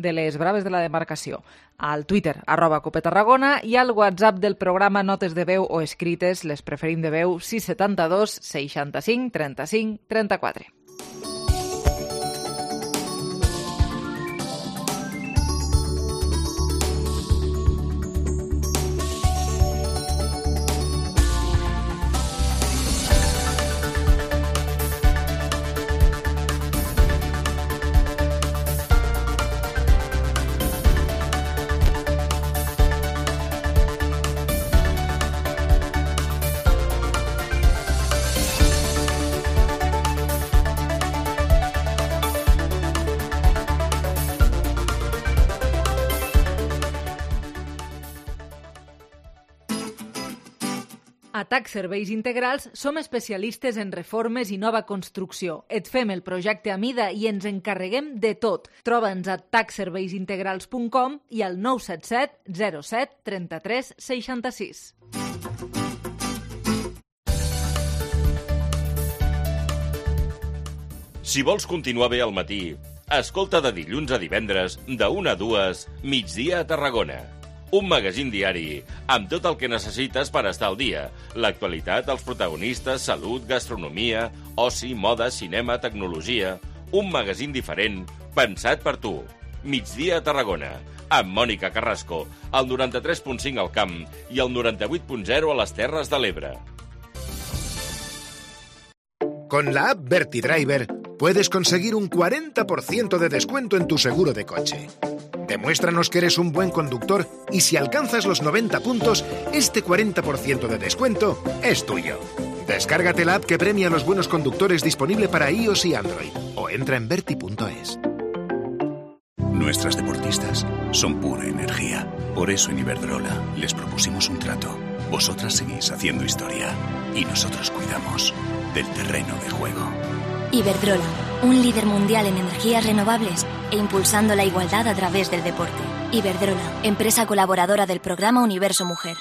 de les braves de la demarcació. Al Twitter, arroba Cope Tarragona, i al WhatsApp del programa notes de veu o escrites, les preferim de veu, sis setanta-dos seixanta-cinc trenta-cinc trenta-quatre. A T A C Serveis Integrals som especialistes en reformes i nova construcció. Et fem el projecte a mida i ens encarreguem de tot. Troba'ns a tac serveis integrals punt com i al nou set set zero set trenta-tres seixanta-sis. Si vols continuar bé al matí, escolta de dilluns a divendres, de una a dues, Migdia a Tarragona. Un magazín diari amb tot el que necessites per estar al dia. L'actualitat, els protagonistes, salut, gastronomia, oci, moda, cinema, tecnologia. Un magazín diferent, pensat per tu. Migdia a Tarragona, amb Mònica Carrasco, al noranta-tres punt cinc al Camp i al noranta-vuit punt zero a les Terres de l'Ebre. Con la app VertiDriver puedes conseguir un cuarenta por ciento de descuento en tu seguro de coche. Demuéstranos que eres un buen conductor y si alcanzas los noventa puntos, este cuarenta por ciento de descuento es tuyo. Descárgate la app que premia a los buenos conductores disponible para iOS y Android o entra en verti punto es. Nuestras deportistas son pura energía. Por eso en Iberdrola les propusimos un trato. Vosotras seguís haciendo historia y nosotros cuidamos del terreno de juego. Iberdrola, un líder mundial en energías renovables e impulsando la igualdad a través del deporte. Iberdrola, empresa colaboradora del programa Universo Mujer.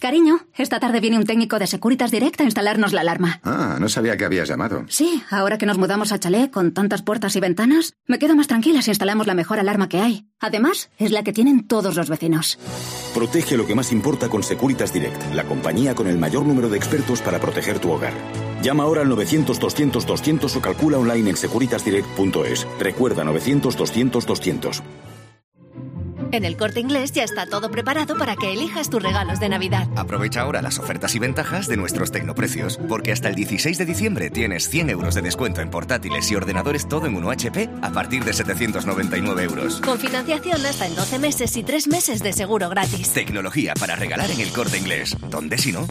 Cariño, esta tarde viene un técnico de Securitas Direct a instalarnos la alarma. Ah, no sabía que habías llamado. Sí, ahora que nos mudamos a chalet con tantas puertas y ventanas, me quedo más tranquila si instalamos la mejor alarma que hay. Además, es la que tienen todos los vecinos. Protege lo que más importa con Securitas Direct, la compañía con el mayor número de expertos para proteger tu hogar. Llama ahora al novecientos doscientos doscientos o calcula online en securitas direct punto es. Recuerda novecientos doscientos doscientos. En el Corte Inglés ya está todo preparado para que elijas tus regalos de Navidad. Aprovecha ahora las ofertas y ventajas de nuestros tecnoprecios, porque hasta el dieciséis de diciembre tienes cien euros de descuento en portátiles y ordenadores todo en uno H P a partir de setecientos noventa y nueve euros. Con financiación hasta en doce meses y tres meses de seguro gratis. Tecnología para regalar en el Corte Inglés. ¿Dónde si no?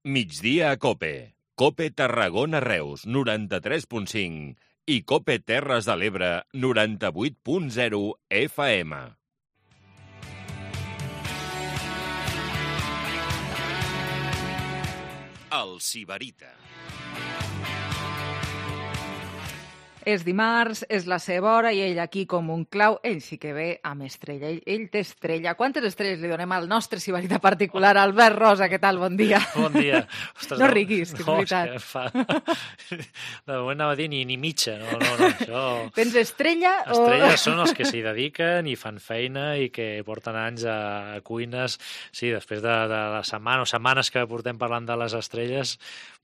Migdia a Cope. Cope Tarragona Reus, noranta-tres punt cinc. I Cope Terres de l'Ebre, noranta-vuit punt zero F M. El Sibarita. És dimarts, és la seva hora i ell aquí com un clau, ell sí que ve amb estrella, ell, ell té estrella. Quantes estrelles li donem al nostre sibarita particular, Albert Rosa? Què tal? Bon dia. Bon dia. Ostres, no riguis, que és no, veritat. És que fa... De moment anava a dir ni, ni mitja, no, no, no. Això... Tens estrella? Estrelles o... són els que s'hi dediquen i fan feina i que porten anys a, a cuines. Sí, després de, de la setmana o setmanes que portem parlant de les estrelles,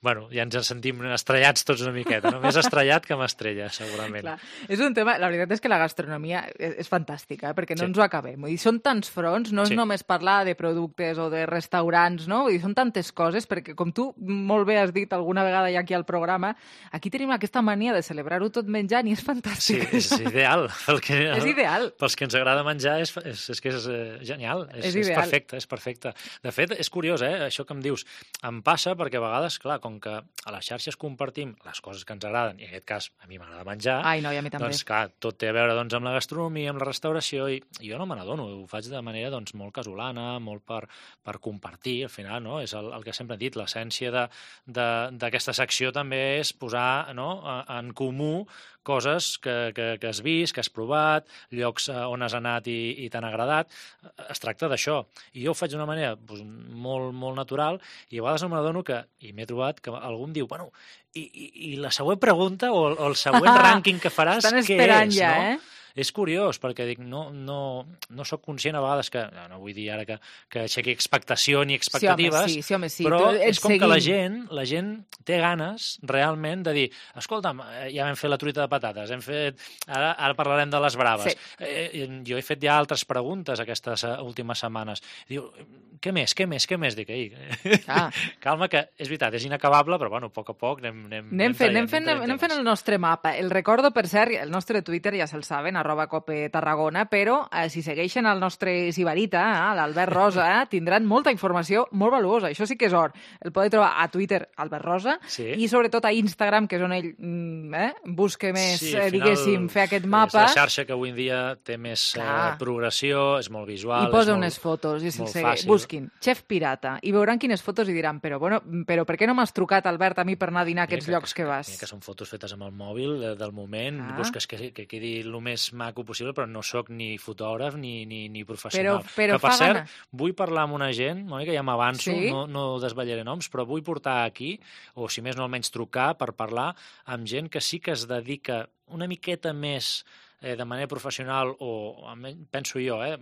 bueno, ja ens en sentim estrellats tots una miqueta, no? Més estrellat que amb estrella, segurament. Clar. És un tema, la veritat és que la gastronomia és, és fantàstica, eh? Perquè no sí. ens ho acabem. Vull dir, són tants fronts, no és sí. només parlar de productes o de restaurants, no? Vull dir, són tantes coses, perquè com tu molt bé has dit alguna vegada ja aquí al programa, aquí tenim aquesta mania de celebrar-ho tot menjant i és fantàstic. Sí, és ideal. Pel que, és ideal. Pels que ens agrada menjar és, és, és que és eh, genial, és, és, és perfecte, és perfecte. De fet, és curiós, eh? Això que em dius, em passa perquè a vegades, clar, com que a les xarxes compartim les coses que ens agraden, i en aquest cas a mi m'agrada menjar, Ai, no, i a mi també. Doncs clar, tot té a veure doncs, amb la gastronomia, amb la restauració, i jo no me n'adono, ho faig de manera doncs, molt casolana, molt per, per compartir, al final, no? És el, el que sempre he dit, l'essència d'aquesta secció també és posar, no?, en comú coses que, que, que has vist, que has provat, llocs on has anat i, i t'han agradat. Es tracta d'això. I jo ho faig d'una manera doncs, molt, molt natural i a vegades no m'adono que, i m'he trobat que algú em diu, bueno, i, i, i la següent pregunta o, o el següent rànquing que faràs, què és? Estan esperant ja, no? eh? És curiós, perquè dic, no, no, no soc conscient a vegades que, no, no vull dir ara que, que aixequi expectació ni expectatives, sí, home, sí, sí, home, sí. però tu, és com seguim. que la gent, la gent té ganes realment de dir, escolta'm, ja vam fer la truita de patates, hem fet, ara, ara parlarem de les braves. Sí. Eh, jo he fet ja altres preguntes aquestes últimes setmanes. Diu, què més, què més, què més? Dic, ei, ah. calma, que és veritat, és inacabable, però bueno, a poc a poc anem, anem, anem, anem, fent, anem, fent, anem, anem fent el nostre mapa. El recordo, per cert, el nostre Twitter ja se'l saben, arroba Cope Tarragona, però eh, si segueixen el nostre sibarita, eh, l'Albert Rosa, eh, tindran molta informació molt valuosa. Això sí que és or. El podeu trobar a Twitter, Albert Rosa, sí. i sobretot a Instagram, que és on ell eh, busca més, sí, eh, diguéssim, fer aquest mapa. És la xarxa que avui en dia té més eh, progressió, és molt visual. I posa molt, unes fotos, i se'l segueix. Busquin, Chef Pirata, i veuran quines fotos i diran, però, bueno, però per què no m'has trucat, Albert, a mi per anar a dinar a aquests que, llocs que vas? Que són fotos fetes amb el mòbil eh, del moment, ah. busques que, que quedi el més maco possible, però no sóc ni fotògraf ni, ni, ni professional. Però, però que, per cert, gana. vull parlar amb una gent, Mònica, ja m'avanço, sí? no, no desvetllaré noms, però vull portar aquí, o si més no almenys trucar, per parlar amb gent que sí que es dedica una miqueta més eh, de manera professional, o penso jo, eh,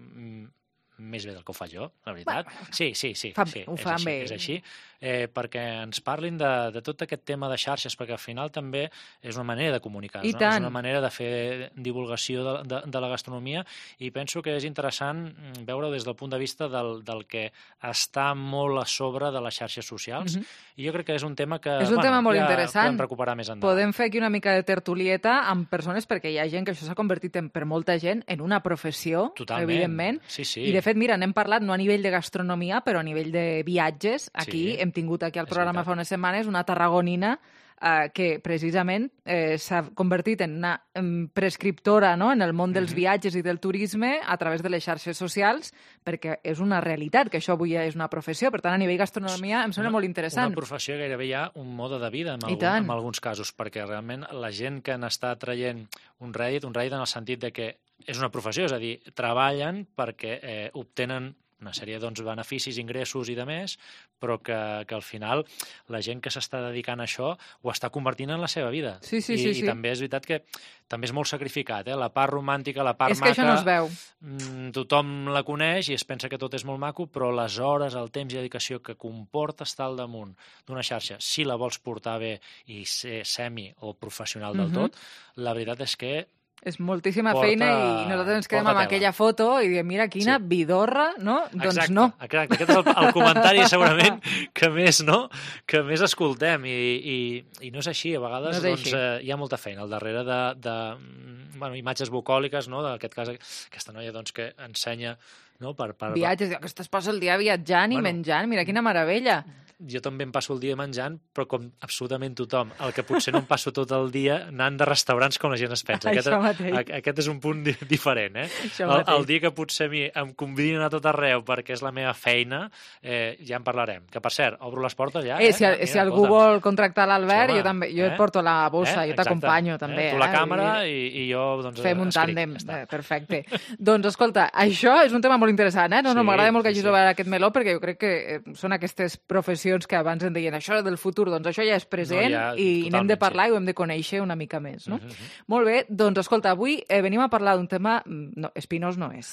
més bé del que ho faig jo, la veritat. Bueno, sí, sí, sí, fa, sí ho és, fan així, bé. és així, eh, perquè ens parlin de, de tot aquest tema de xarxes, perquè al final també és una manera de comunicar, no? És una manera de fer divulgació de, de, de la gastronomia, i penso que és interessant veure-ho des del punt de vista del, del que està molt a sobre de les xarxes socials, mm-hmm. i jo crec que és un tema que és un bueno, tema molt ja interessant. podem recuperar més endavant. Podem fer aquí una mica de tertulieta amb persones, perquè hi ha gent que això s'ha convertit en, per molta gent en una professió, totalment. Evidentment, sí, sí. i de fet, mira, n'hem parlat no a nivell de gastronomia, però a nivell de viatges. Aquí Sí, hem tingut aquí al programa veritat. fa unes setmanes una tarragonina eh, que precisament eh, s'ha convertit en una em, prescriptora, no?, en el món dels Mhm. viatges i del turisme a través de les xarxes socials, perquè és una realitat, que això avui ja és una professió. Per tant, a nivell gastronomia em sembla Una- molt interessant. Una professió gairebé ja un mode de vida en, I algun, tant. en alguns casos, perquè realment la gent que n'està traient un rèdit, un rèdit en el sentit de que és una professió, és a dir, treballen perquè eh, obtenen una sèrie doncs, beneficis, ingressos i de més, però que, que al final la gent que s'està dedicant a això ho està convertint en la seva vida. Sí, sí, I, sí, I sí. també és veritat que també és molt sacrificat, eh? La part romàntica, la part És que maca... això no es veu. mm, tothom la coneix i es pensa que tot és molt maco, però les hores, el temps i dedicació que comporta estar al damunt d'una xarxa, si la vols portar bé i ser semi o professional del Mhm. tot, la veritat és que És moltíssima Porta- feina i nosaltres ens quedem porta amb tela. aquella foto i diem, mira, quina vidorra, no? Doncs Exacte, no. exacte. Aquest és el, el comentari segurament que més, no? que més escoltem i, i, i no és així. A vegades No és doncs, així. eh, hi ha molta feina al darrere de, de mm, bueno, imatges bucòliques, no? d'aquest cas aquesta noia doncs, que ensenya no? per, per, Viatges, que es passa el dia viatjant i Bueno. menjant, mira quina meravella. jo també em passo el dia menjant, però com absolutament tothom. El que potser no em passo tot el dia anant de restaurants com la gent es pensa. Aquest, Això mateix. a- aquest és un punt di diferent. Eh? Això El, mateix. el dia que potser a mi em convidin a tot arreu perquè és la meva feina, eh, ja en parlarem. Que, per cert, obro les portes ja. Eh, si, eh? si algú vol contractar l'Albert, Sí, home, jo també, jo eh? et porto la bossa, Eh? jo t'acompanyo Exacte. també. Eh? Tu la eh? càmera Vull dir, i, i jo doncs, Fem un escric. tàndem, Ja està. eh, perfecte. Doncs, escolta, això és un tema molt interessant, eh? No, no, Sí, m'agrada molt que sí, hagis sí. obert aquest meló, perquè jo crec que eh, són aquestes professions que abans en deien això del futur, doncs això ja és present No, ja, i n'hem de totalment, parlar i ho hem de conèixer una mica més, no? Mhm, mhm. Molt bé, doncs escolta, avui eh, venim a parlar d'un tema... mm, No, espinós no és.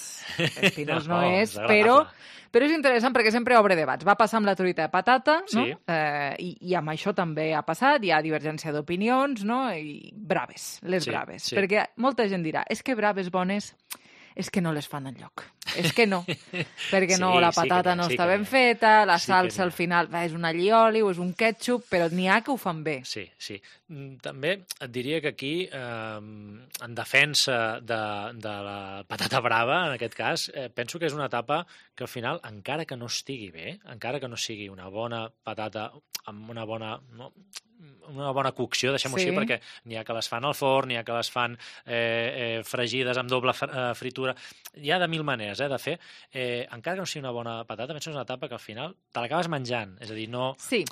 Espinós no, No, és, és agradable. però, però és interessant perquè sempre obre debats. Va passar amb la truita de patata, no? Sí. Eh, i, I amb això també ha passat, hi ha divergència d'opinions, no? I braves, les Sí, braves. sí. Perquè molta gent dirà, és que braves bones és que no les fan enlloc. És que no. Perquè no, Sí, la sí que patata n'hi ha, no sí està que ben n'hi ha. feta, la Sí que salsa n'hi ha. al final va, és un allioli o és un ketchup, però n'hi ha que ho fan bé. Sí, sí. Mm, També et diria que aquí, eh, en defensa de, de la patata brava, en aquest cas, eh, penso que és una etapa que al final, encara que no estigui bé, encara que no sigui una bona patata amb una bona... No, una bona cocció, deixem-ho Sí. així, perquè n'hi ha que les fan al forn, n'hi ha que les fan eh, eh, fregides amb doble fr- eh, fritura. Hi ha de mil maneres eh, de fer. Eh, encara que no sigui una bona patata, penso que és una etapa que al final te l'acabes menjant. És a dir, no... Sí.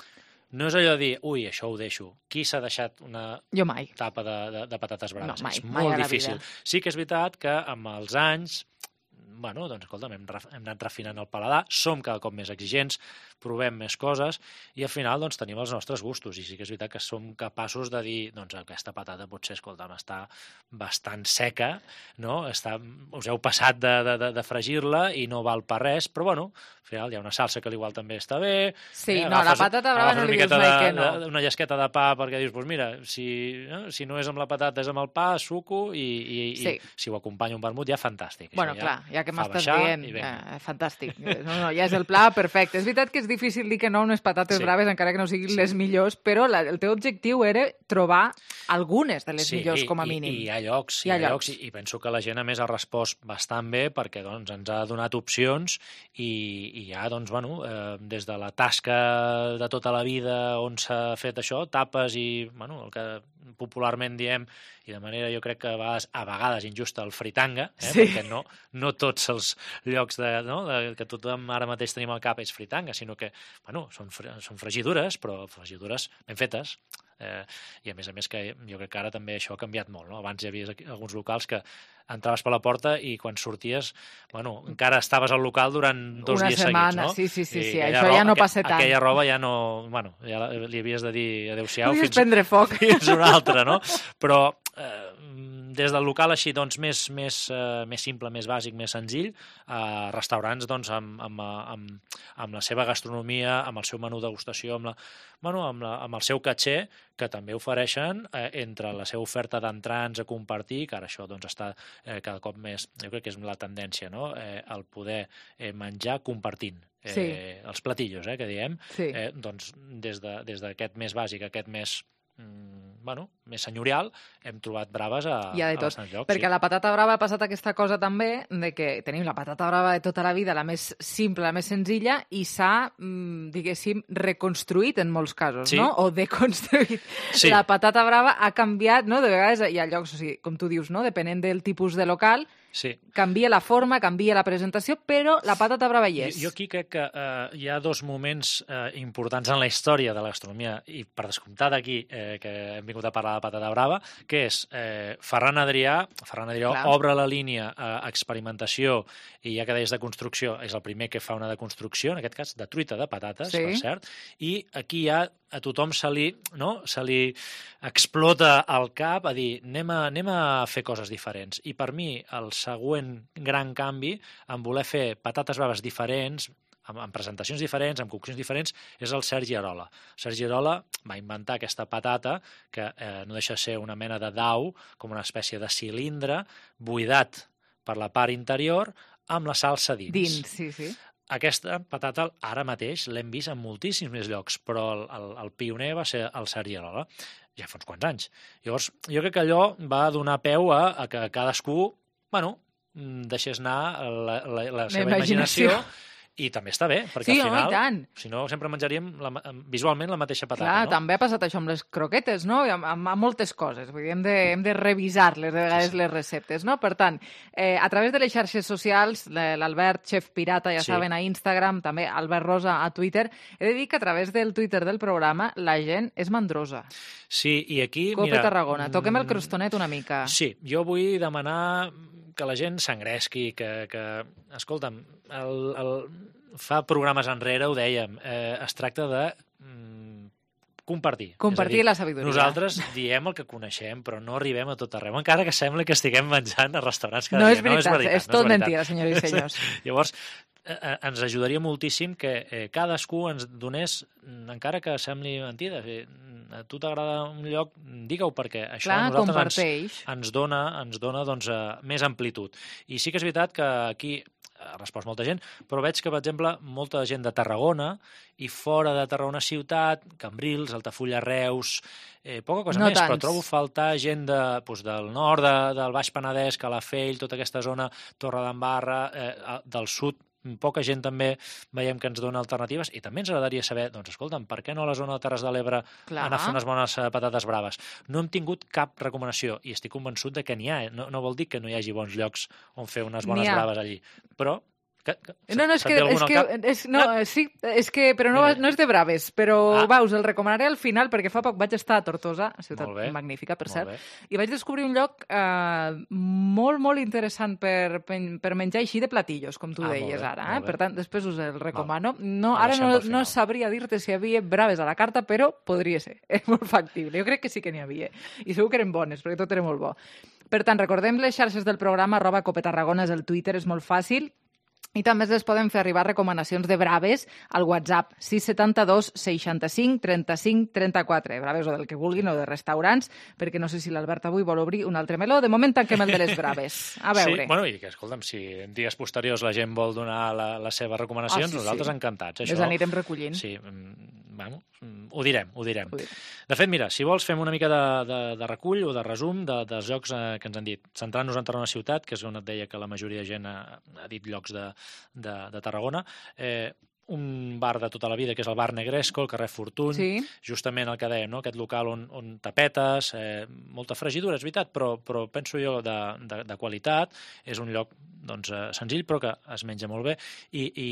No és allò de dir, ui, això ho deixo. Qui s'ha deixat una Jo mai. tapa de, de, de patates braves? No, mai, és mai molt a la difícil. vida. Sí que és veritat que amb els anys, bueno, doncs, escolta'm, hem, ref- hem anat refinant el paladar, som cada cop més exigents, provem més coses i al final doncs, tenim els nostres gustos i sí que és veritat que som capaços de dir doncs aquesta patata potser, escolta'm, està bastant seca, no? Està, us heu passat de, de, de, de fregir-la i no val per res, però bueno, al final hi ha una salsa que igual també està bé. Sí, no, la patata brava agafes no una li dius miqueta mai de, que no. de, una llesqueta de pa perquè dius, doncs mira, si, no? si no és amb la patata és amb el pa, suco i, i, Sí. i si ho acompanya un vermut ja fantàstic. Això Bueno, clar, ja que fa m'estàs baixar dient, i vinga. eh, fantàstic. No, no, ja és el pla perfecte. És veritat que és difícil dir que no a unes patates Sí. braves, encara que no siguin les millors, però la, el teu objectiu era trobar algunes de les Sí, millors, i- com a i- mínim. I hi ha llocs, Hi ha llocs. i, i penso que la gent, a més, ha respost bastant bé perquè doncs, ens ha donat opcions i, i hi ha, doncs, bueno, eh, des de la tasca de tota la vida on s'ha fet això, tapes i, bueno, el que popularment diem, i de manera jo crec que a vegades, a vegades injusta, el fritanga, eh? Sí. perquè no, no tots els llocs de, no? de, que tothom ara mateix tenim al cap és fritanga, sinó que bueno, són, fre són fregidures, però fregidures ben fetes. Eh, I a més a més que jo crec que ara també això ha canviat molt, no? Abans hi havia aquí alguns locals que entraves per la porta i quan sorties, bueno, encara estaves al local durant dos Una dies setmana, seguits, no? sí, sí, sí, I sí, aquella això ja roba- no passa tant. Aquella roba ja no... Bueno, ja la- li havies de dir adéu-siau Podies fins, prendre foc. fins una altra, no? Però eh, des del local així doncs, més, més, eh, més simple, més bàsic, més senzill, a restaurants doncs, amb, amb, amb, amb la seva gastronomia, amb el seu menú degustació, amb, la, bueno, amb, la, amb el seu caché, que també ofereixen eh, entre la seva oferta d'entrants a compartir, que ara això doncs, està eh, cada cop més, jo crec que és la tendència, no? eh, el poder eh, menjar compartint. Eh, Sí. Els platillos, eh, que diem, Sí. eh, doncs des d'aquest de, des d'aquest més bàsic, aquest més mm, bueno, més senyorial, hem trobat braves a, Hi ha de a tot, bastants llocs. perquè sí. a la patata brava ha passat aquesta cosa també de que tenim la patata brava de tota la vida, la més simple, la més senzilla, i s'ha, mm, diguéssim, reconstruït en molts casos, Sí. no? O deconstruït. Sí. La patata brava ha canviat, no? De vegades hi ha llocs, o sigui, com tu dius, no? Depenent del tipus de local, Sí. canvia la forma, canvia la presentació, però la patata brava hi és. Jo, jo aquí crec que eh, hi ha dos moments eh, importants en la història de la gastronomia, i per descomptat aquí, eh, que hem vingut a parlar de patata brava, que és eh, Ferran Adrià, Ferran Adrià Clar. obre la línia a experimentació, i ja que deies de construcció, és el primer que fa una deconstrucció, en aquest cas de truita de patates, Sí. per cert, i aquí ja a tothom se li, no? se li explota el cap a dir anem a, anem a fer coses diferents. I per mi el següent gran canvi en voler fer patates braves diferents, amb, amb presentacions diferents, amb coccions diferents, és el Sergi Arola. Sergi Arola va inventar aquesta patata que eh, no deixa de ser una mena de dau, com una espècie de cilindre, buidat per la part interior, amb la salsa dins. Dins, sí, sí. Aquesta patata ara mateix l'hem vist en moltíssims més llocs, però el, el, el pioner va ser el Sergi Arola, ja fa uns quants anys. Llavors, jo crec que allò va donar peu a, a que cadascú, bueno, deixés anar la, la, la seva imaginació, i també està bé, perquè Sí, al home, i final, tant. si no, sempre menjaríem la, visualment la mateixa patata, Clar, no? també ha passat això amb les croquetes, no? I amb, amb, amb moltes coses. Vull dir, hem de, hem de revisar-les, de vegades, sí, sí. les receptes, no? Per tant, eh, a través de les xarxes socials, l'Albert, Chef Pirata, ja Sí. saben, a Instagram, també Albert Rosa a Twitter, he de dir que a través del Twitter del programa la gent és mandrosa. Sí, i aquí, Cope mira... Tarragona, toquem el crostonet una mica. Sí, jo vull demanar que la gent s'engresqui, que, que escolta'm, el, el, fa programes enrere, ho dèiem, eh, es tracta de mm, compartir. Compartir És a dir, la sabidoria. Nosaltres diem el que coneixem, però no arribem a tot arreu, encara que sembli que estiguem menjant a restaurants cada No dia. és veritat, no és veritat, és no tot és veritat. mentida, senyores i senyors. Llavors, eh, ens ajudaria moltíssim que eh, cadascú ens donés, encara que sembli mentida, eh, a tu t'agrada un lloc, digue-ho, perquè això Clar, a nosaltres comparteix. ens, ens dona, ens dona doncs, eh, més amplitud. I sí que és veritat que aquí ha respost molta gent, però veig que, per exemple, molta gent de Tarragona i fora de Tarragona ciutat, Cambrils, Altafulla, Reus, eh, poca cosa No més, tants. però trobo faltar gent de, doncs, del nord, de, del Baix Penedès, Calafell, tota aquesta zona, Torredembarra, eh, del sud, poca gent també veiem que ens dona alternatives, i també ens agradaria saber, doncs escolta'm, per què no a la zona de Terres de l'Ebre Clar. anar a fer unes bones eh, patates braves? No hem tingut cap recomanació i estic convençut de que n'hi ha. Eh? No, no vol dir que no hi hagi bons llocs on fer unes bones N'hi ha. braves allí, però... Que, que, No, no, és se't que, ve algun és al que, cap? és, no, sí, és que, però no, no és de braves, però Ah. va, us el recomanaré al final, perquè fa poc vaig estar a Tortosa, ciutat Molt bé. magnífica, per Molt cert, bé. i vaig descobrir un lloc eh, molt, molt interessant per, per menjar així de platillos, com tu Ah, molt deies bé, ara, eh? molt bé. Per tant, després us el recomano. No, Ho ara deixem no, pel final. no sabria dir-te si hi havia braves a la carta, però podria ser, és molt factible. Jo crec que sí que n'hi havia, i segur que eren bones, perquè tot era molt bo. Per tant, recordem les xarxes del programa, arroba Cope Tarragona és el Twitter, és molt fàcil. I també es poden fer arribar recomanacions de braves al WhatsApp sis set dos seixanta-cinc trenta-cinc trenta-quatre. Braves o del que vulguin, o de restaurants, perquè no sé si l'Albert avui vol obrir un altre meló. De moment tanquem el de les braves. A veure. Sí, bueno, i que, escolta'm, si en dies posteriors la gent vol donar la, les seves recomanacions, Ah, sí, nosaltres sí. encantats. Les anirem recollint. Sí, mm, bueno, mm, ho direm, ho direm. Ho direm. De fet, mira, si vols fem una mica de, de, de recull o de resum de, dels llocs eh, que ens han dit. Centrant-nos en Tarragona Ciutat, que és on et deia que la majoria de gent ha, ha dit llocs de, de, de Tarragona, eh, un bar de tota la vida, que és el bar Negresco, el carrer Fortuny, Sí. justament el que dèiem, no? Aquest local on, on tapetes, eh, molta fregidura, és veritat, però, però penso jo de, de, de qualitat, és un lloc doncs, eh, senzill, però que es menja molt bé, i, i,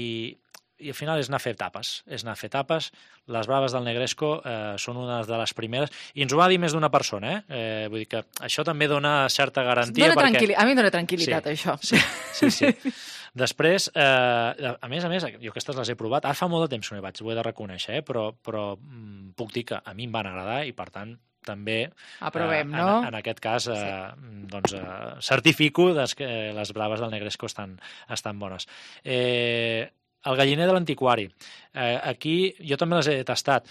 i al final és anar a fer tapes, és anar a fer tapes. Les braves del Negresco eh, són una de les primeres, i ens ho va dir més d'una persona, eh? eh vull dir que això també dona certa garantia. Dona perquè... tranquil·li- A mi em dona tranquil·litat, sí, això. Sí, sí, sí. Després, eh, a més a més, jo aquestes les he provat, ara fa molt de temps que no hi vaig, ho he de reconèixer, eh? però, però mm, puc dir que a mi em van agradar i, per tant, també Aprovem, eh, no? en, en aquest cas eh, sí. doncs, eh, certifico des que les braves del Negresco estan, estan bones. Eh, el galliner de l'antiquari. Eh, aquí jo també les he tastat.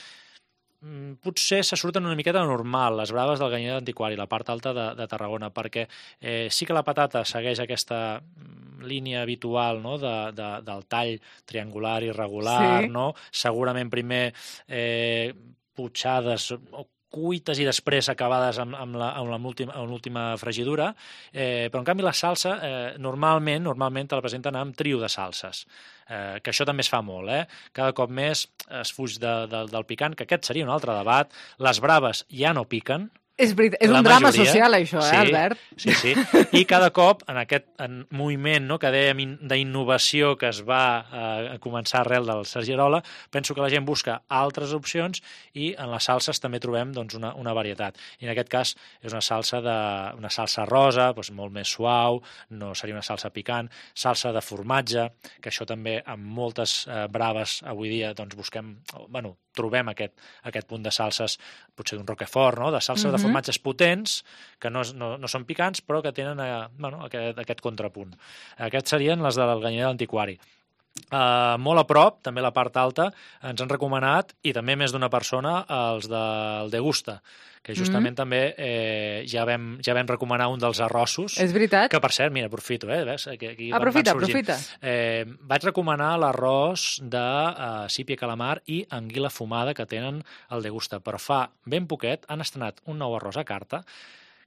Mm, potser se surten una miqueta normal les braves del galliner de l'antiquari, la part alta de, de Tarragona, perquè eh, sí que la patata segueix aquesta línia habitual, no? de, de, del tall triangular irregular, Sí. no? Segurament primer eh, potxades o cuites i després acabades amb, amb la, amb l'última fregidura, eh, però en canvi la salsa eh, normalment normalment te la presenten amb trio de salses, eh, que això també es fa molt, eh? Cada cop més es fuig de, de, del picant, que aquest seria un altre debat. Les braves ja no piquen. És, és un drama majoria. social, això, eh, sí, Albert? Sí, sí. I cada cop, en aquest en moviment no, que dèiem d'innovació que es va eh, començar arrel del Sergi Arola, penso que la gent busca altres opcions i en les salses també trobem doncs, una, una varietat. I en aquest cas és una salsa, de, una salsa rosa, doncs, molt més suau, no seria una salsa picant, salsa de formatge, que això també amb moltes eh, braves avui dia doncs, busquem, bueno, trobem aquest, aquest punt de salses, potser d'un roquefort, no? de salses uh-huh. de formatges potents, que no, no, no són picants, però que tenen eh, bueno, aquest, aquest contrapunt. Aquests serien les del Ganyer de l'Antiquari. Uh, molt a prop, també la part alta, ens han recomanat, i també més d'una persona, els del Degusta, que justament mm-hmm. també eh, ja, vam, ja vam recomanar un dels arrossos. És veritat. Que, per cert, mira, aprofito, eh? Ves, aquí, aquí aprofita, aprofita. Eh, vaig recomanar l'arròs de uh, sípia calamar i anguila fumada que tenen al Degusta, però fa ben poquet han estrenat un nou arròs a carta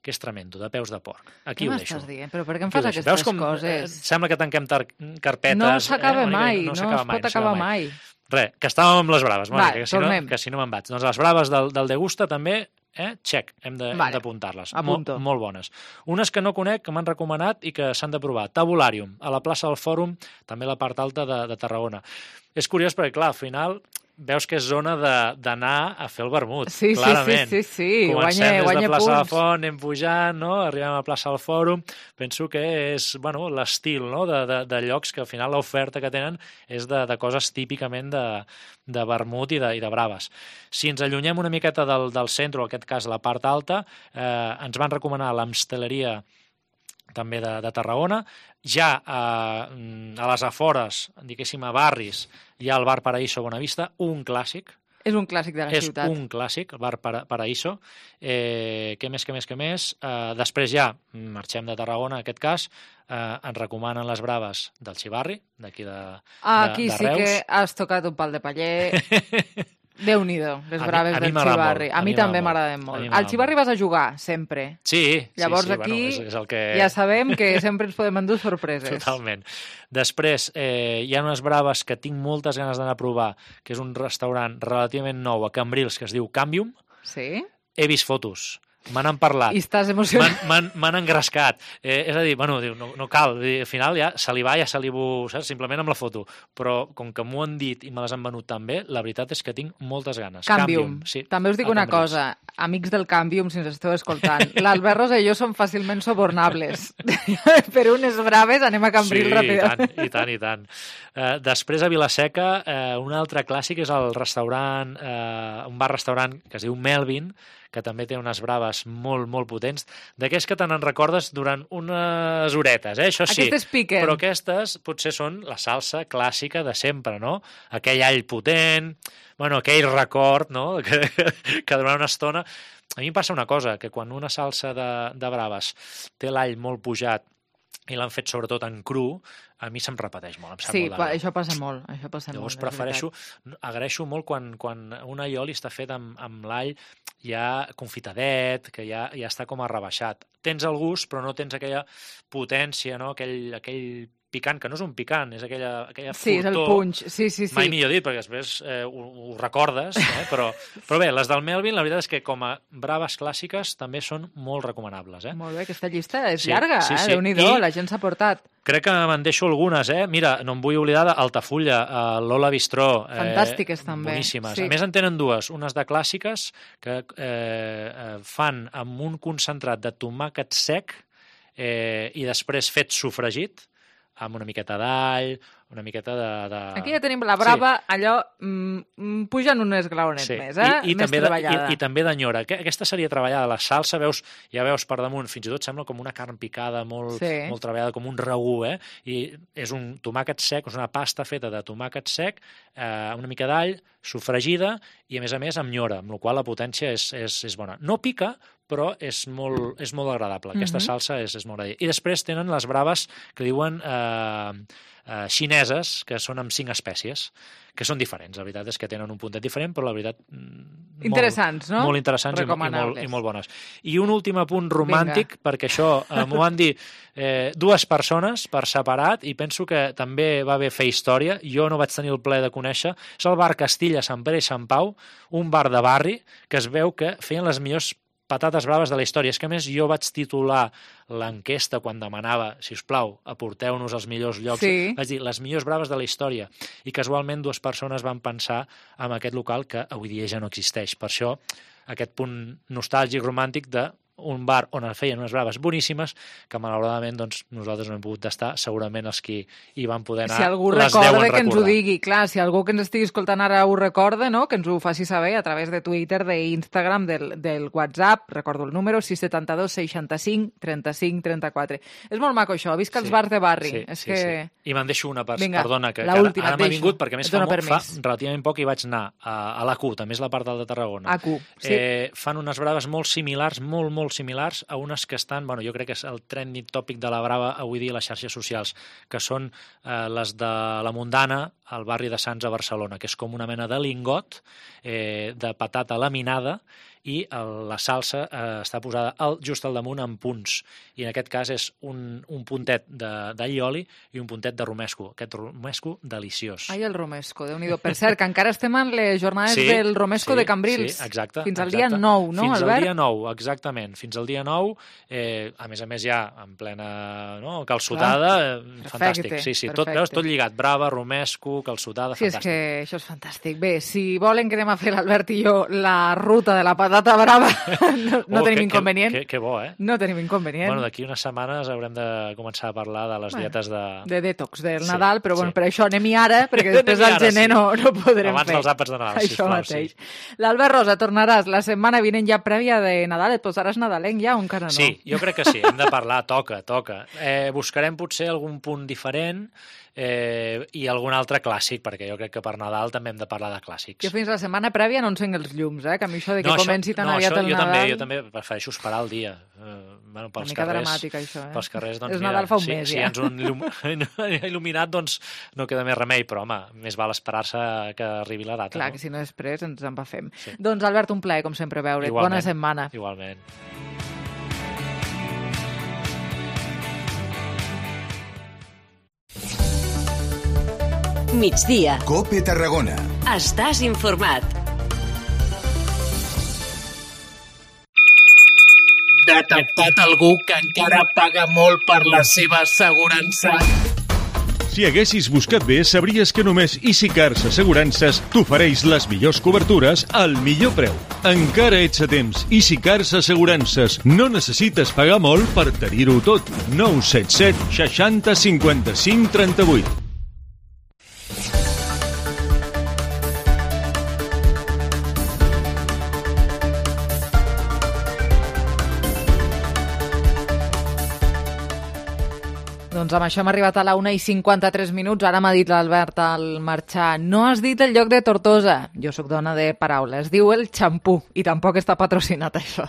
que és tremendo, de peus de porc. Aquí què ho deixo. M'estàs dient? Però per què em fas aquestes Veus com, coses? Eh, sembla que tanquem carpetes. No s'acaba eh? mai, no, no, no es mai, pot no acabar mai. mai. Res, que estàvem amb les braves, Mònica, Va, que, si no, que si no me'n vaig. Doncs les braves del, del Degusta també, eh, check, hem d'apuntar-les. Vale, molt, molt bones. Unes que no conec, que m'han recomanat i que s'han de provar. Tabularium, a la plaça del Fòrum, també a la part alta de, de Tarragona. És curiós perquè, clar, al final veus que és zona d'anar a fer el vermut, sí, clarament. Sí, sí, sí, sí. Comencem guanya, des guanya de plaça punts. de Font, anem pujant, no? Arribem a la plaça del Fòrum. Penso que és bueno, l'estil no? de, de, de llocs que al final l'oferta que tenen és de, de coses típicament de, de vermut i de, i de braves. Si ens allunyem una miqueta del, del centre, o en aquest cas la part alta, eh, ens van recomanar l'Amsteleria també de, de Tarragona. Ja eh, a les afores, diguéssim, a barris, hi ha el bar Paraíso Bonavista, un clàssic. És un clàssic de la és ciutat. És un clàssic, el bar Para, Paraíso. Eh, què més, què més, què més? Eh, després ja marxem de Tarragona, en aquest cas, eh, ens recomanen les braves del Xivarri, d'aquí de, ah, de, aquí de sí Reus. que has tocat un pal de paller. Déu-n'hi-do, les a braves mi, a del Xivarri. A, a mi també m'agraden molt. Al Xivarri vas a jugar, sempre. Sí, Llavors sí, sí, aquí bueno, és, és el que... ja sabem que sempre ens podem endur sorpreses. Totalment. Després, eh, hi ha unes braves que tinc moltes ganes d'anar a provar, que és un restaurant relativament nou a Cambrils, que es diu Canvium. Sí? He vist fotos. Me n'han parlat. I estàs emocionat. M'han engrescat. Eh, és a dir, bueno, no, no cal. Dir, al final ja salivar, ja salivo, saps? Simplement amb la foto. Però com que m'ho han dit i me les han venut tan bé, la veritat és que tinc moltes ganes. Canvium. Canvium sí. També us dic una Cambrils. cosa. Amics del Canvium, si ens esteu escoltant, l'Albert Rosa i jo som fàcilment sobornables. Per unes braves anem a Cambrils sí, ràpidament. Sí, i tant, i tant, i tant. Uh, després a Vilaseca, uh, un altre clàssic és el restaurant, uh, un bar-restaurant que es diu Melvin, que també té unes braves molt, molt potents, d'aquells que te n'en recordes durant unes horetes, eh? Això sí. Aquestes piquen. Però aquestes potser són la salsa clàssica de sempre, no? Aquell all potent, bueno, aquell record, no?, que, que durant una estona... A mi em passa una cosa, que quan una salsa de, de braves té l'all molt pujat i l'han fet sobretot en cru, a mi se'm repeteix molt, em sap sí, molt de greu. això passa molt, això passa Llavors molt. prefereixo, agraeixo molt quan, quan un allioli està fet amb, amb l'all ja confitadet, que ja, ja està com a rebaixat. Tens el gust, però no tens aquella potència, no? aquell, aquell picant, que no és un picant, és aquella, aquella sí, furtor. És el punx, sí, sí, sí. Mai millor dit, perquè després eh, ho, ho recordes, eh? però, però bé, les del Melvin, la veritat és que com a braves clàssiques també són molt recomanables. Eh? Molt bé, aquesta llista és sí, llarga, sí, eh? sí. Déu-n'hi-do, la gent s'ha portat. Crec que me'n deixo algunes, eh? Mira, no em vull oblidar d'Altafulla, eh, l'Ola Bistró. Eh, Fantàstiques, també. Boníssimes. Sí. A més, en tenen dues. Unes de clàssiques que eh, fan amb un concentrat de tomàquet sec eh, i després fet sofregit, amb una miqueta d'all, una miqueta de, de... Aquí ja tenim la brava, sí. allò, mm, pugen un esglaonet sí. més, eh? I, i més també treballada. De, i, I també d'enyora. Aquesta seria treballada. La salsa, veus, ja veus per damunt, fins i tot sembla com una carn picada, molt, sí. molt treballada, com un ragú, eh? I és un tomàquet sec, és una pasta feta de tomàquet sec, eh, una mica d'all, sofregida, i a més a més amb nyora, amb la qual la potència és, és, és bona. No pica, però és molt, és molt agradable. Aquesta uh-huh. salsa és, és molt agradable. I després tenen les braves que diuen eh, eh, xineses, que són amb cinc espècies, que són diferents. La veritat és que tenen un puntet diferent, però la veritat... Interessants, molt, no? Molt interessants i, i, molt, i molt bones. I un últim apunt romàntic, Vinga. perquè això eh, m'ho van dir eh, dues persones per separat, i penso que també va haver fer història. Jo no vaig tenir el plaer de conèixer. És el bar Castilla, Sant Pere i Sant Pau, un bar de barri que es veu que feien les millors patates braves de la història. És que, a més, jo vaig titular l'enquesta quan demanava, si us plau, aporteu-nos als millors llocs. Sí. Vaig dir, les millors braves de la història. I casualment dues persones van pensar en aquest local que avui dia ja no existeix. Per això, aquest punt nostàlgic, romàntic de un bar on es feien unes braves boníssimes que malauradament doncs, nosaltres no hem pogut tastar, segurament els que hi van poder anar si algú les recorda, deuen recordar. Que ens ho digui, clar, si algú que ens estigui escoltant ara ho recorda, no? Que ens ho faci saber a través de Twitter, d'Instagram, del, del WhatsApp, recordo el número sis set dos seixanta-cinc trenta-cinc trenta-quatre. És molt maco això, visca els sí, bars de barri. Sí, és sí, que... sí. I me'n deixo una, per... Vinga, perdona, que, que última, ara m'ha vingut, perquè més fa, molt, fa relativament poc i vaig anar a, a l'A Q, també és la part de Tarragona. A Q, sí. Eh, fan unes braves molt similars, molt, molt similars a unes que estan, bueno, jo crec que és el trending tòpic de la brava avui dia a les xarxes socials, que són eh, les de la Mundana, al barri de Sants a Barcelona, que és com una mena de lingot eh, de patata laminada i el, la salsa eh, està posada al, just al damunt en punts. I en aquest cas és un, un puntet d'allioli i un puntet de romesco. Aquest romesco deliciós. Ai, el romesco, Déu-n'hi-do. Per cert, que encara estem en les jornades sí, del romesco sí, de Cambrils. Sí, exacte. Fins al exacte. dia nou, no, Fins Albert? Fins al dia nou, exactament. Fins al dia nou, eh, a més a més ja en plena no, calçotada, eh, fantàstic. Sí, sí, tot, veus, tot lligat. Brava, romesco, calçotada, sí, fantàstic. Sí, és que això és fantàstic. Bé, si volen que anem a fer l'Albert i jo la ruta de la patata brava, no, no oh, tenim que, inconvenient. Que, que bo, eh? No tenim inconvenient. Bueno, d'aquí unes setmanes haurem de començar a parlar de les bueno, dietes de... De detox, del sí, Nadal, però bueno, sí. per això anem-hi ara, perquè després al gener sí. no, no podrem Abans fer. Abans dels àpats de Nadal, això sisplau, mateix. Sí. L'Albert Rosa, tornaràs la setmana vinent ja prèvia de Nadal, et posaràs nadalenc ja o encara no? Sí, jo crec que sí, hem de parlar, toca, toca. Eh, buscarem potser algun punt diferent eh, i algun altre clàssic, perquè jo crec que per Nadal també hem de parlar de clàssics. Jo fins la setmana prèvia no encenc els llums, eh? Que a mi això de que no, comenci això, tan no, aviat això, el jo Nadal... També, jo també prefereixo esperar el dia. Eh, bueno, pels Una mica carrers, dramàtic, això, eh? Pels carrers, doncs, és mira, Nadal fa un si, mes, si ja. ens un il·lum... il·luminat, doncs no queda més remei, però, home, més val esperar-se que arribi la data. Clar, no? que si no després ens en va fem. Sí. Doncs, Albert, un plaer, com sempre, veure't. Igualment, bona setmana. Igualment. Migdia. COPE Tarragona. Estàs informat. Detectat algú que encara paga molt per la seva assegurança. Si haguessis buscat bé, sabries que només EasyCars Assegurances t'ofereix les millors cobertures al millor preu. Encara ets a temps. EasyCars Assegurances. No necessites pagar molt per tenir-ho tot. nou set set seixanta cinquanta-cinc trenta-vuit. Doncs amb això hem arribat a la una i cinquanta-tres minuts. Ara m'ha dit l'Albert al marxar. No has dit el lloc de Tortosa. Jo sóc dona de paraula. Es diu el Xampú i tampoc està patrocinat això.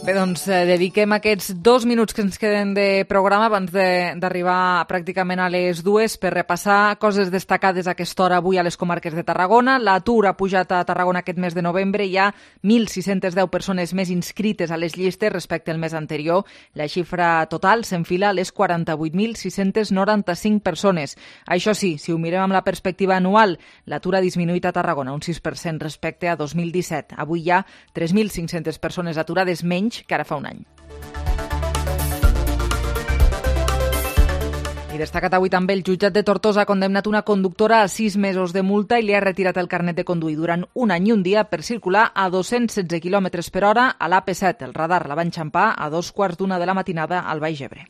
Bé, doncs eh, dediquem aquests dos minuts que ens queden de programa abans d'arribar pràcticament a les dues per repassar coses destacades a aquesta hora avui a les comarques de Tarragona. L'atur ha pujat a Tarragona aquest mes de novembre. Hi ha mil sis-centes deu persones més inscrites a les llistes respecte al mes anterior. La xifra total s'enfila a les quaranta-vuit mil sis-cents noranta-cinc persones. Això sí, si ho mirem amb la perspectiva anual, l'atur ha disminuït a Tarragona un sis per cent respecte a dos mil disset. Avui hi ha tres mil cinc-centes persones aturades menys que ara fa un any. I destacat avui també el jutjat de Tortosa ha condemnat una conductora a sis mesos de multa i li ha retirat el carnet de conduir durant un any i un dia per circular a dos-cents setze quilòmetres per hora a l'A P set. El radar la va enxampar a dos quarts d'una de la matinada al Baix Ebre.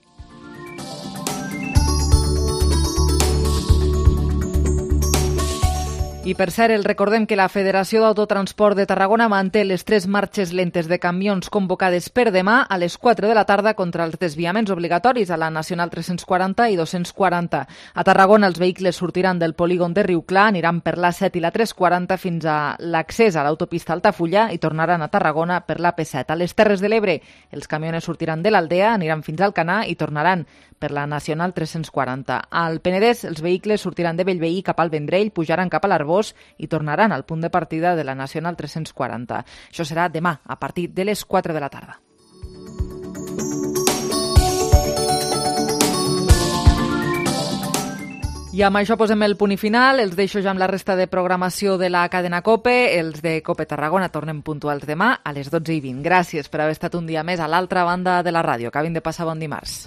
I per cert, el recordem que la Federació d'Autotransport de Tarragona manté les tres marxes lentes de camions convocades per demà a les quatre de la tarda contra els desviaments obligatoris a la Nacional tres-cents quaranta i dos-cents quaranta. A Tarragona els vehicles sortiran del polígon de Riuclar, aniran per l'A set i la tres quaranta fins a l'accés a l'autopista Altafulla i tornaran a Tarragona per l'A P set. A les Terres de l'Ebre els camiones sortiran de l'Aldea, aniran fins al Canà i tornaran per la Nacional tres-cents quaranta. Al Penedès els vehicles sortiran de Bellveí cap al Vendrell, pujaran cap a l'Arbós i tornaran al punt de partida de la Nacional tres-cents quaranta. Això serà demà, a partir de les quatre de la tarda. I amb això posem el punt i final. Els deixo ja amb la resta de programació de la cadena COPE. Els de COPE Tarragona tornem puntuals demà a les dotze i vint. Gràcies per haver estat un dia més a l'altra banda de la ràdio. Acabin de passar bon dimarts.